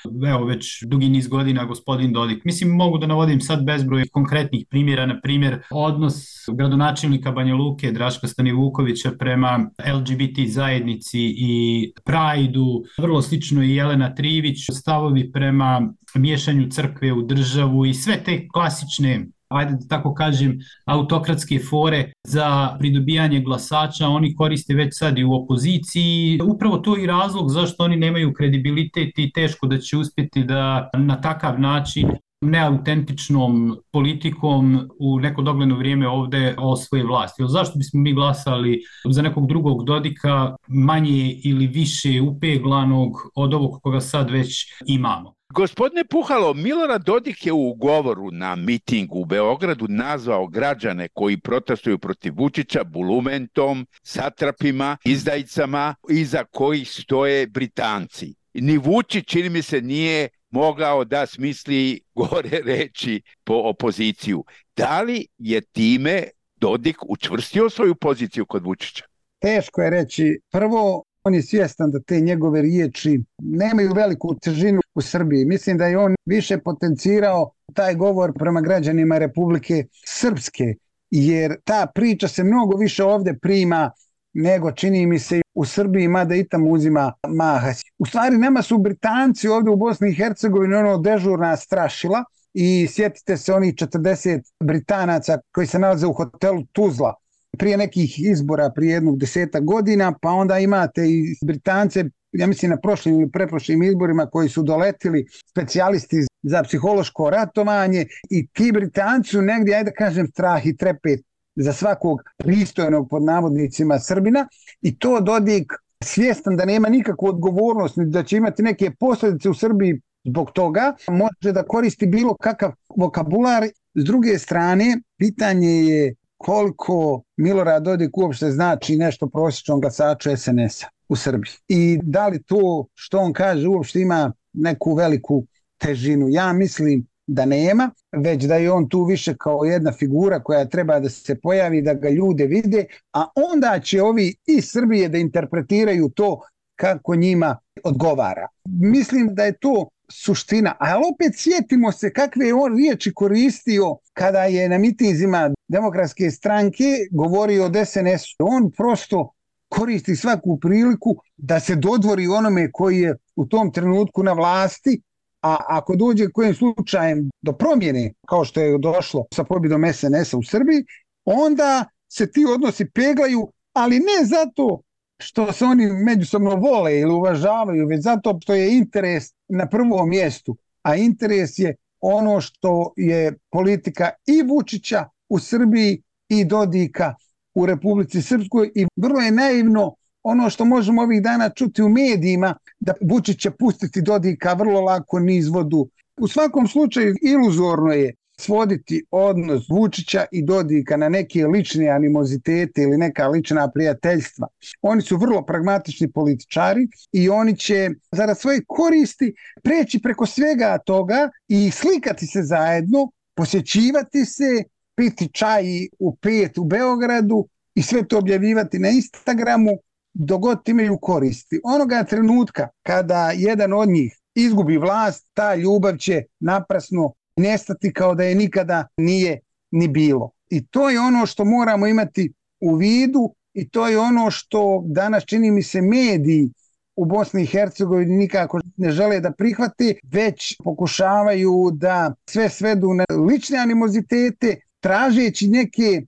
već dugi niz godina gospodin Dodik. Mislim, mogu da navodim sad bezbroj konkretnih primjera, na primjer odnos gradonačelnika Banja Luke Draška Stanivukovića prema LGBT zajednici i Prajdu, vrlo slično i Jelena Trivić, stavovi prema miješanju crkve u državu i sve te klasične, ajde da tako kažem, autokratske fore za pridobijanje glasača oni koriste već sad i u opoziciji. Upravo to je i razlog zašto oni nemaju kredibilitet i teško da će uspjeti da na takav način neautentičnom politikom u neko dogledno vrijeme ovde osvoje vlast. Zašto bismo mi glasali za nekog drugog Dodika manje ili više upeglanog od ovog koga sad već imamo? Gospodine Puhalo, Milorad Dodik je u govoru na mitingu u Beogradu nazvao građane koji protestuju protiv Vučića bulumentom, satrapima, izdajicama, iza kojih stoje Britanci. Ni Vučić, čini mi se, nije mogao da smisli gore reči po opoziciju. Da li je time Dodik učvrstio svoju poziciju kod Vučića? Teško je reći. Prvo, on je svjestan da te njegove riječi nemaju veliku težinu u Srbiji. Mislim da je on više potencirao taj govor prema građanima Republike Srpske, jer ta priča se mnogo više ovdje prima nego čini mi se u Srbiji, mada i tamo uzima maha. U stvari nama su Britanci ovdje u Bosni i Hercegovini dežurna strašila i sjetite se onih 40 Britanaca koji se nalaze u hotelu Tuzla prije nekih izbora, prije 10 godina, pa onda imate i Britance, ja mislim na prošlim ili preprošlim izborima koji su doletili specijalisti za psihološko ratovanje i ti Britanci su negdje, ajde kažem, strah i trepet za svakog pristojnog pod navodnicima Srbina i to Dodik svjestan da nema nikakvu odgovornost, da će imati neke posljedice u Srbiji zbog toga, može da koristi bilo kakav vokabular. S druge strane, pitanje je koliko Milorad Dodik uopšte znači nešto prosječnom glasaču SNS-a u Srbiji. I da li to što on kaže uopšte ima neku veliku težinu. Ja mislim da nema, već da je on tu više kao jedna figura koja treba da se pojavi, da ga ljude vide, a onda će ovi iz Srbije da interpretiraju to kako njima odgovara. Mislim da je to suština, ali opet sjetimo se kakve je on riječi koristio kada je na mitinzima Demokratske stranke govorio od SNS-u. On prosto koristi svaku priliku da se dodvori onome koji je u tom trenutku na vlasti, a ako dođe kojim slučajem do promjene, kao što je došlo sa pobjedom SNS-a u Srbiji, onda se ti odnosi peglaju, ali ne zato što se oni međusobno vole ili uvažavaju, već zato što je interes na prvom mjestu, a interes je ono što je politika i Vučića u Srbiji i Dodika u Republici Srpskoj, i vrlo je naivno ono što možemo ovih dana čuti u medijima, da Vučić će pustiti Dodika vrlo lako niz vodu. U svakom slučaju iluzorno je svoditi odnos Vučića i Dodika na neke lične animozitete ili neka lična prijateljstva. Oni su vrlo pragmatični političari i oni će zarad svoje koristi preći preko svega toga i slikati se zajedno, posjećivati se, piti čaj u 5 u Beogradu i sve to objavljivati na Instagramu dok god imaju koristi. Onoga trenutka kada jedan od njih izgubi vlast, ta ljubav će naprasno nestati kao da je nikada nije ni bilo. I to je ono što moramo imati u vidu i to je ono što danas čini mi se mediji u Bosni i Hercegovini nikako ne žele da prihvate, već pokušavaju da sve svedu na lične animozitete, tražeći neke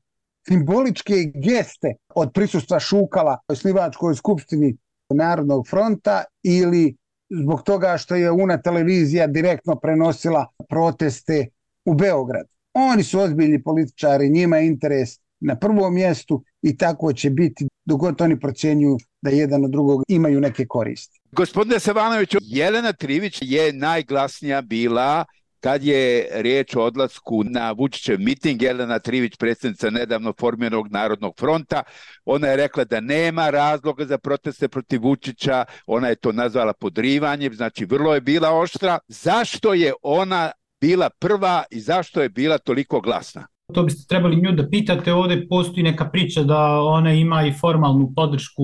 simboličke geste od prisustva Šukala u osnivačkoj skupštini Narodnog fronta ili zbog toga što je UNA televizija direktno prenosila proteste u Beogradu. Oni su ozbiljni političari, njima je interes na prvom mjestu i tako će biti dok god oni procjenjuju da jedan od drugog imaju neke koristi. Gospodine Savanoviću, Jelena Trivić je najglasnija bila kad je riječ o odlasku na Vučićev miting. Jelena Trivić, predsjednica nedavno formiranog Narodnog fronta, ona je rekla da nema razloga za proteste protiv Vučića, ona je to nazvala podrivanjem, znači vrlo je bila oštra. Zašto je ona bila prva i zašto je bila toliko glasna? To biste trebali nju da pitate, ovdje postoji neka priča da ona ima i formalnu podršku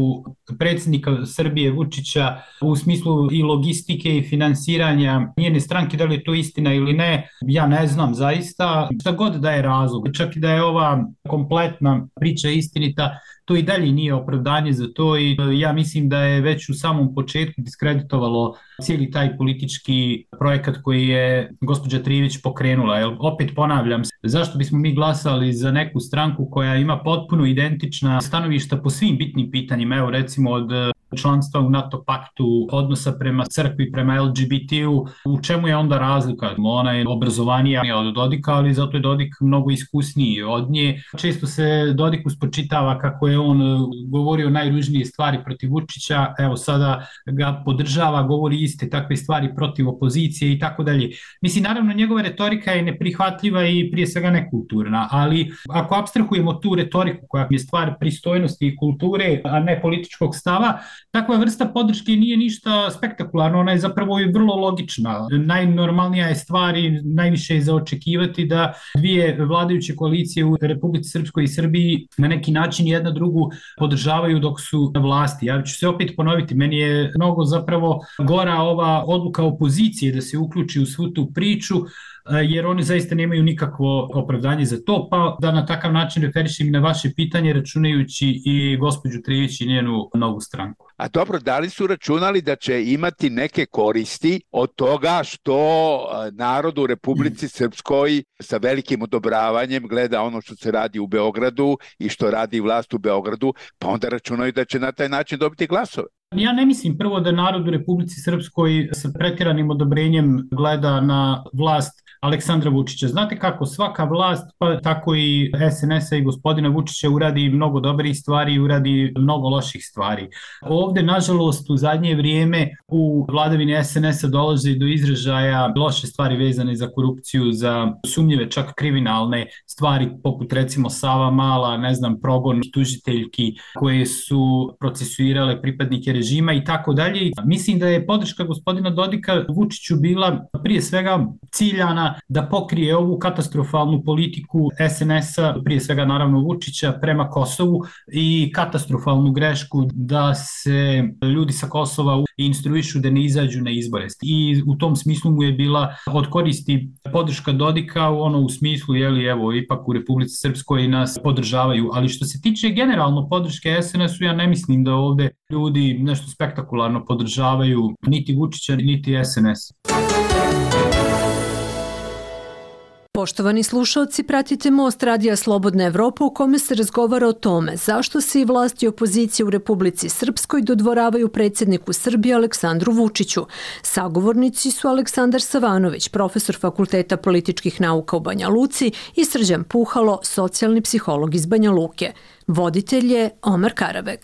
predsjednika Srbije Vučića u smislu i logistike i finansiranja njene stranke. Da li je to istina ili ne, ja ne znam zaista. Šta god da je razlog, čak i da je ova kompletna priča istinita, to i dalje nije opravdanje za to i ja mislim da je već u samom početku diskreditovalo cijeli taj politički projekat koji je gospođa Trivić pokrenula. Jer opet ponavljam, zašto bismo mi glasali za neku stranku koja ima potpuno identična stanovišta po svim bitnim pitanjima, evo recimo od članstva u NATO paktu, odnosa prema crkvi, prema LGBT-u, u čemu je onda razlika? Ona je obrazovanija od Dodika, ali zato je Dodik mnogo iskusniji od nje. Često se Dodiku spočitava kako je on govorio najružnije stvari protiv Vučića, evo sada ga podržava, govori iste takve stvari protiv opozicije i tako dalje. Mislim, naravno, njegova retorika je neprihvatljiva i prije svega nekulturna, ali ako apstrahujemo tu retoriku koja je stvar pristojnosti i kulture, a ne političkog stava, takva vrsta podrške nije ništa spektakularno, ona je zapravo i vrlo logična. Najnormalnija je stvar i najviše je za očekivati da dvije vladajuće koalicije u Republici Srpskoj i Srbiji na neki način jedna drugu podržavaju dok su na vlasti. Ja ću se opet ponoviti, meni je mnogo zapravo gora ova odluka opozicije da se uključi u svu tu priču, jer oni zaista nemaju nikakvo opravdanje za to, pa da na takav način referišem na vaše pitanje, računajući i gospođu Trivić i njenu novu stranku. A dobro, da li su računali da će imati neke koristi od toga što narod u Republici Srpskoj sa velikim odobravanjem gleda ono što se radi u Beogradu i što radi vlast u Beogradu, pa onda računaju da će na taj način dobiti glasove? Ja ne mislim prvo da narod u Republici Srpskoj sa pretjeranim odobrenjem gleda na vlast Aleksandra Vučića. Znate kako, svaka vlast, pa tako i SNS-a i gospodina Vučića uradi mnogo dobrih stvari i uradi mnogo loših stvari. Ovde, nažalost, u zadnje vrijeme u vladavini SNS-a dolazi do izražaja loše stvari vezane za korupciju, za sumnjive, čak kriminalne stvari, poput recimo Sava Mala, ne znam, progon tužiteljki koje su procesuirale pripadnike režima i tako dalje. Mislim da je podrška gospodina Dodika Vučiću bila prije svega ciljana da pokrije ovu katastrofalnu politiku SNS-a, prije svega naravno Vučića, prema Kosovu i katastrofalnu grešku da se ljudi sa Kosova instruišu da ne izađu na izbore. I u tom smislu mu je bila od koristi podrška Dodika u smislu, evo, ipak u Republici Srpskoj nas podržavaju. Ali što se tiče generalno podrške SNS-u, ja ne mislim da ovde ljudi nešto spektakularno podržavaju niti Vučića, niti SNS. Poštovani slušalci, pratite Most Radija Slobodna Evropa u kome se razgovara o tome zašto se i vlast i opozicija u Republici Srpskoj dodvoravaju predsjedniku Srbije Aleksandru Vučiću. Sagovornici su Aleksandar Savanović, profesor Fakulteta političkih nauka u Banja Luci, i Srđan Puhalo, socijalni psiholog iz Banja Luke. Voditelj je Omar Karabeg.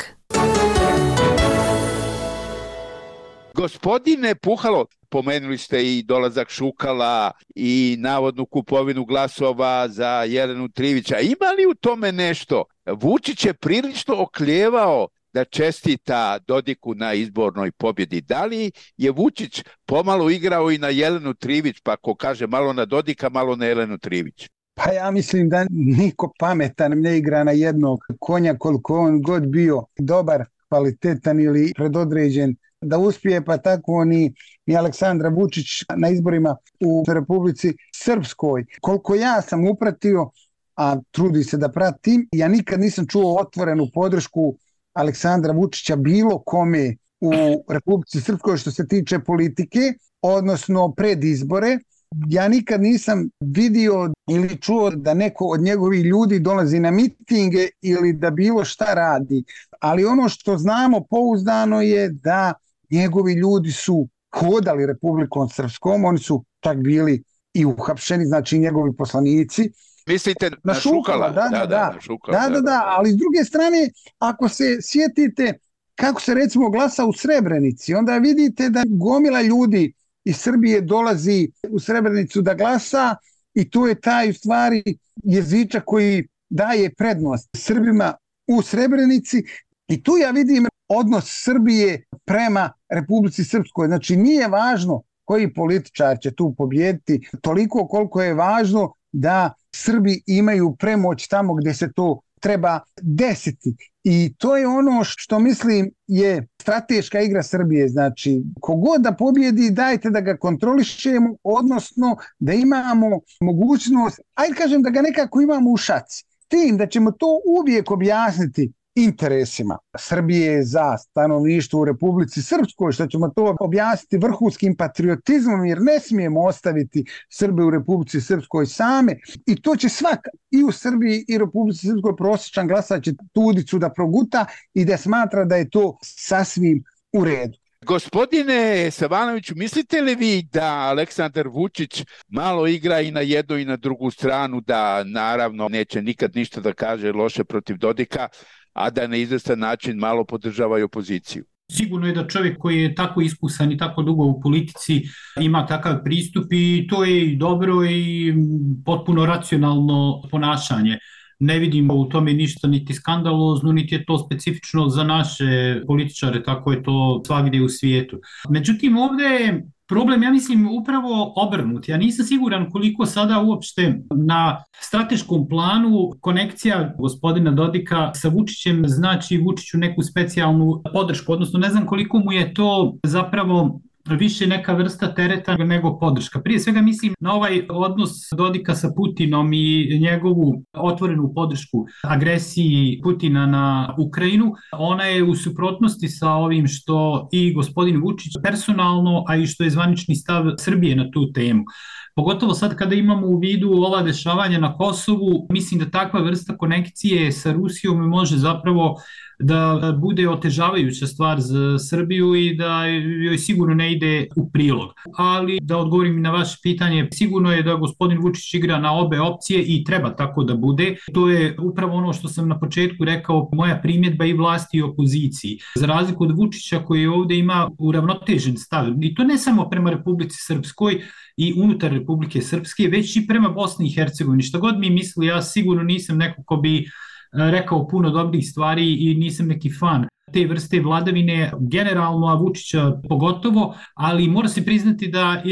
Gospodine Puhalo, pomenuli ste i dolazak Šukala i navodnu kupovinu glasova za Jelenu Trivića. Ima li u tome nešto? Vučić je prilično oklijevao da čestita Dodiku na izbornoj pobjedi. Da li je Vučić pomalo igrao i na Jelenu Trivić, pa ko kaže malo na Dodika, malo na Jelenu Trivić? Pa ja mislim da niko pametan ne igra na jednog konja, koliko on god bio dobar, kvalitetan ili predodređen da uspije, pa tako ni Aleksandra Vučić na izborima u Republici Srpskoj. Koliko ja sam upratio, a trudi se da pratim, ja nikad nisam čuo otvorenu podršku Aleksandra Vučića bilo kome u Republici Srpskoj što se tiče politike, odnosno pred izbore. Ja nikad nisam vidio ili čuo da neko od njegovih ljudi dolazi na mitinge ili da bilo šta radi. Ali ono što znamo pouzdano je da njegovi ljudi su hodali Republikom Srpskom, oni su čak bili i uhapšeni, znači njegovi poslanici. Mislite na Šukala? Da, ali s druge strane, ako se sjetite kako se recimo glasa u Srebrenici, onda vidite da gomila ljudi iz Srbije dolazi u Srebrenicu da glasa i to je taj u stvari jezičak koji daje prednost Srbima u Srebrenici i tu ja vidim odnos Srbije prema Republici Srpskoj. Znači nije važno koji političar će tu pobijediti, toliko koliko je važno da Srbi imaju premoć tamo gdje se to treba desiti. I to je ono što mislim je strateška igra Srbije. Znači, kogod da pobjedi, dajte da ga kontrolišemo, odnosno da imamo mogućnost, ajde kažem da ga nekako imamo u šaci. Tim da ćemo to uvijek objasniti interesima Srbije za stanovništvo u Republici Srpskoj, što ćemo to objasniti vrhunskim patriotizmom, jer ne smijemo ostaviti Srbe u Republici Srpskoj same i to će svaka i u Srbiji i Republici Srpskoj prosječan glasač će tudicu da proguta i da smatra da je to sasvim u redu. Gospodine Savanoviću, mislite li vi da Aleksandar Vučić malo igra i na jednu i na drugu stranu, da naravno neće nikad ništa da kaže loše protiv Dodika, a da na izvestan način malo podržava i opoziciju? Sigurno je da čovjek koji je tako iskusan i tako dugo u politici ima takav pristup i to je i dobro i potpuno racionalno ponašanje. Ne vidimo u tome ništa niti skandalozno, niti je to specifično za naše političare, tako je to svagdje u svijetu. Međutim, ovdje je problem, ja mislim, upravo obrnut. Ja nisam siguran koliko sada uopšte na strateškom planu konekcija gospodina Dodika sa Vučićem znači Vučiću neku specijalnu podršku, odnosno ne znam koliko mu je to zapravo više neka vrsta tereta nego podrška. Prije svega mislim na ovaj odnos Dodika sa Putinom i njegovu otvorenu podršku agresiji Putina na Ukrajinu. Ona je u suprotnosti sa ovim što i gospodin Vučić personalno, a i što je zvanični stav Srbije na tu temu. Pogotovo sad kada imamo u vidu ova dešavanja na Kosovu, mislim da takva vrsta konekcije sa Rusijom može zapravo da bude otežavajuća stvar za Srbiju i da joj sigurno ne ide u prilog. Ali da odgovorim na vaše pitanje, sigurno je da gospodin Vučić igra na obe opcije i treba tako da bude. To je upravo ono što sam na početku rekao, moja primjedba i vlasti i opoziciji. Za razliku od Vučića koji ovde ima uravnotežen stav, i to ne samo prema Republici Srpskoj i unutar Republike Srpske, već i prema Bosni i Hercegovini. Šta god mi misli, ja sigurno nisam neko ko bi rekao puno dobrih stvari i nisam neki fan te vrste vladavine generalno, a Vučića pogotovo, ali mora se priznati da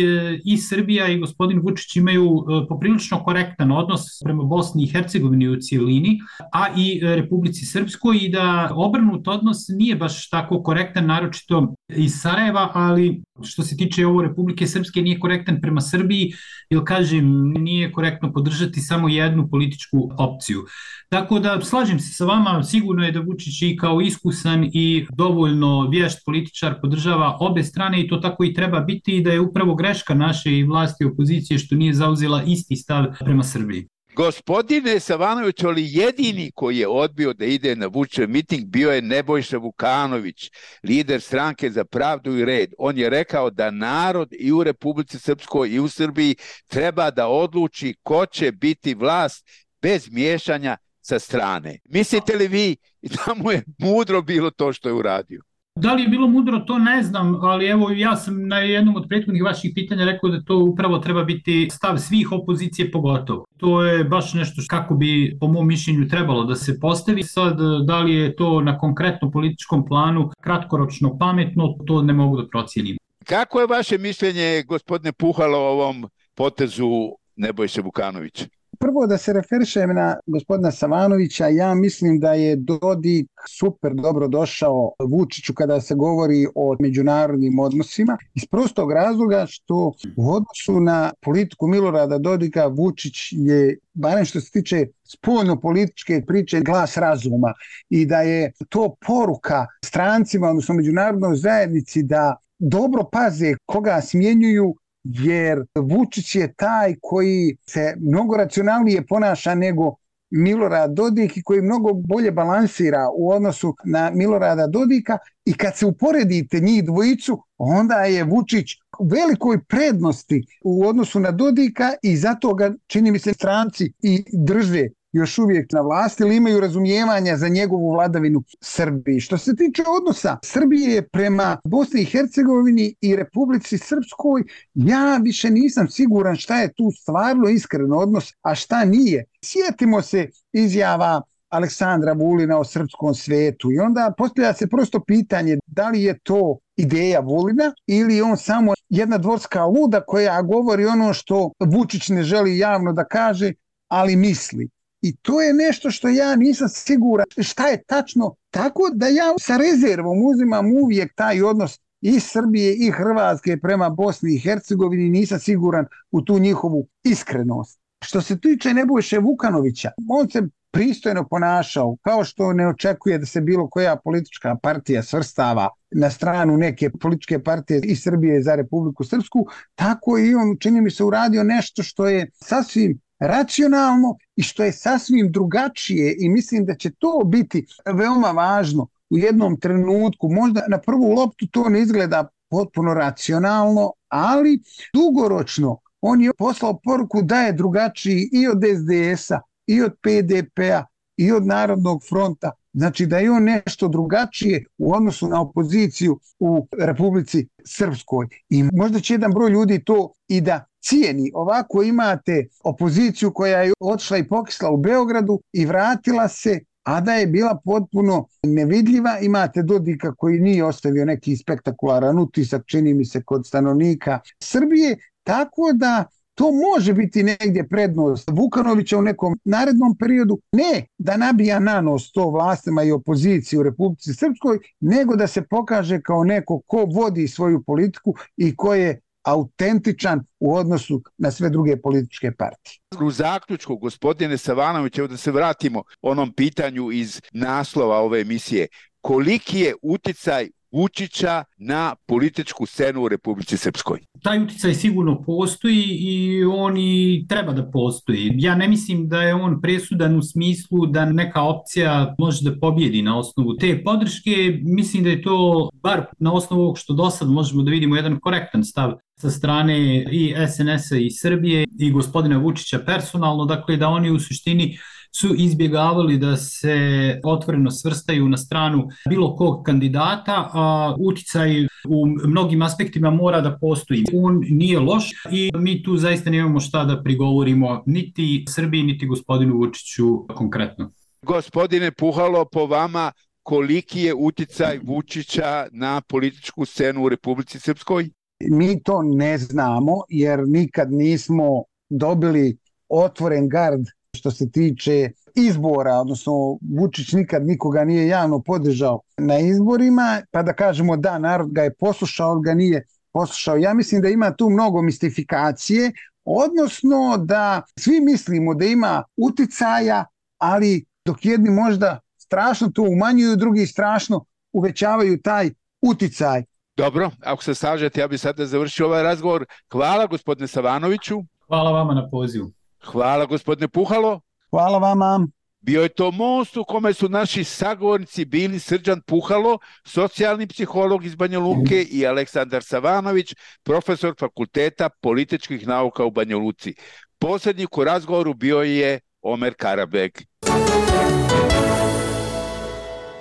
i Srbija i gospodin Vučić imaju poprilično korektan odnos prema Bosni i Hercegovini u cijelini, a i Republici Srpskoj, i da obrnut odnos nije baš tako korektan, naročito iz Sarajeva, ali što se tiče ovo Republike Srpske nije korektan prema Srbiji, jer kažem, nije korektno podržati samo jednu političku opciju. Tako da slažem se sa vama, sigurno je da Vučić i kao iskusan i dovoljno vješt političar podržava obe strane i to tako i treba biti, i da je upravo greška naše i vlasti i opozicije što nije zauzela isti stav prema Srbiji. Gospodine Savanović, ali jedini koji je odbio da ide na Vučićev miting bio je Nebojša Vukanović, lider Stranke za pravdu i red. On je rekao da narod i u Republici Srpskoj i u Srbiji treba da odluči ko će biti vlast bez miješanja sa strane. Mislite li vi da mu je mudro bilo to što je uradio? Da li je bilo mudro, to ne znam, ali evo ja sam na jednom od prethodnih vaših pitanja rekao da to upravo treba biti stav svih opozicije pogotovo. To je baš nešto kako bi po mom mišljenju trebalo da se postavi. Sad, da li je to na konkretno političkom planu kratkoročno pametno, to ne mogu da procijenim. Kako je vaše mišljenje, gospodine Puhalo, o ovom potezu Nebojše Vukanovića? Prvo da se referišem na gospodina Savanovića, ja mislim da je Dodik super dobro došao Vučiću kada se govori o međunarodnim odnosima, iz prostog razloga što u odnosu na politiku Milorada Dodika Vučić je, barem što se tiče spoljno-političke priče, glas razuma, i da je to poruka strancima, odnosno međunarodnoj zajednici, da dobro paze koga smjenjuju, jer Vučić je taj koji se mnogo racionalnije ponaša nego Milorad Dodik i koji mnogo bolje balansira u odnosu na Milorada Dodika, i kad se uporedite njih dvojicu, onda je Vučić u velikoj prednosti u odnosu na Dodika, i zato ga, čini mi se, stranci i drže još uvijek na vlasti ili imaju razumijevanja za njegovu vladavinu Srbiji. Što se tiče odnosa Srbije prema Bosni i Hercegovini i Republici Srpskoj, ja više nisam siguran šta je tu stvarno iskren odnos, a šta nije. Sjetimo se izjava Aleksandra Vulina o srpskom svetu i onda postavlja se prosto pitanje da li je to ideja Vulina ili on samo jedna dvorska luda koja govori ono što Vučić ne želi javno da kaže, ali misli. I to je nešto što ja nisam siguran šta je tačno, tako da ja sa rezervom uzimam uvijek taj odnos i Srbije i Hrvatske prema Bosni i Hercegovini, nisam siguran u tu njihovu iskrenost. Što se tiče Nebojše Vukanovića, on se pristojno ponašao, kao što ne očekuje da se bilo koja politička partija svrstava na stranu neke političke partije iz Srbije za Republiku Srpsku, tako i on, čini mi se, uradio nešto što je sasvim racionalno i što je sasvim drugačije, i mislim da će to biti veoma važno u jednom trenutku. Možda na prvu loptu to ne izgleda potpuno racionalno, ali dugoročno on je poslao poruku da je drugačiji i od SDS-a, i od PDP-a, i od Narodnog fronta. Znači da je on nešto drugačije u odnosu na opoziciju u Republici Srpskoj. I možda će jedan broj ljudi to i da cijeni. Ovako imate opoziciju koja je otišla i pokisla u Beogradu i vratila se, a da je bila potpuno nevidljiva. Imate Dodika koji nije ostavio neki spektakularan utisak, čini mi se, kod stanovnika Srbije, tako da to može biti negdje prednost Vukanovića u nekom narednom periodu, ne da nabija na nos to vlastima i opoziciji u Republici Srpskoj, nego da se pokaže kao neko ko vodi svoju politiku i ko je autentičan u odnosu na sve druge političke partije. U zaključku, gospodine Savanović, evo da se vratimo onom pitanju iz naslova ove emisije, koliki je uticaj Vučića na političku scenu u Republici Srpskoj? Taj uticaj sigurno postoji i on i treba da postoji. Ja ne mislim da je on presudan u smislu da neka opcija može da pobjedi na osnovu te podrške. Mislim da je to, bar na osnovu ovog što do sad možemo da vidimo, jedan korektan stav sa strane i SNS-a i Srbije i gospodina Vučića personalno, dakle da oni u suštini su izbjegavali da se otvoreno svrstaju na stranu bilo kog kandidata, a uticaj u mnogim aspektima mora da postoji. On nije loš i mi tu zaista nemamo šta da prigovorimo niti Srbiji, niti gospodinu Vučiću konkretno. Gospodine Puhalo, po vama koliki je uticaj Vučića na političku scenu u Republici Srpskoj? Mi to ne znamo jer nikad nismo dobili otvoren gard što se tiče izbora, odnosno Vučić nikad nikoga nije javno podržao na izborima, pa da kažemo da, narod ga je poslušao, ali ga nije poslušao. Ja mislim da ima tu mnogo mistifikacije, odnosno da svi mislimo da ima uticaja, ali dok jedni možda strašno to umanjuju, drugi strašno uvećavaju taj uticaj. Dobro, ako se slažete, ja bih sada završio ovaj razgovor. Hvala gospodine Savanoviću. Hvala vama na pozivu. Hvala gospodine Puhalo. Hvala vama. Bio je to most u kome su naši sagovornici bili Srđan Puhalo, socijalni psiholog iz Banja Luke, i Aleksandar Savanović, profesor Fakulteta političkih nauka u Banja Luci. Poslednjik u razgovoru bio je Omer Karabeg.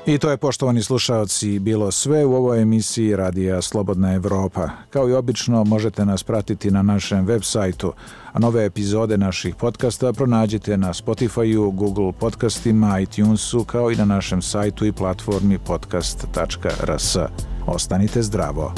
I to je, poštovani slušaoci, bilo sve u ovoj emisiji Radija Slobodna Evropa. Kao i obično, možete nas pratiti na našem web sajtu, a nove epizode naših podcasta pronađite na Spotify-u, Google podcastima, iTunesu, kao i na našem sajtu i platformi podcast.rs. Ostanite zdravo!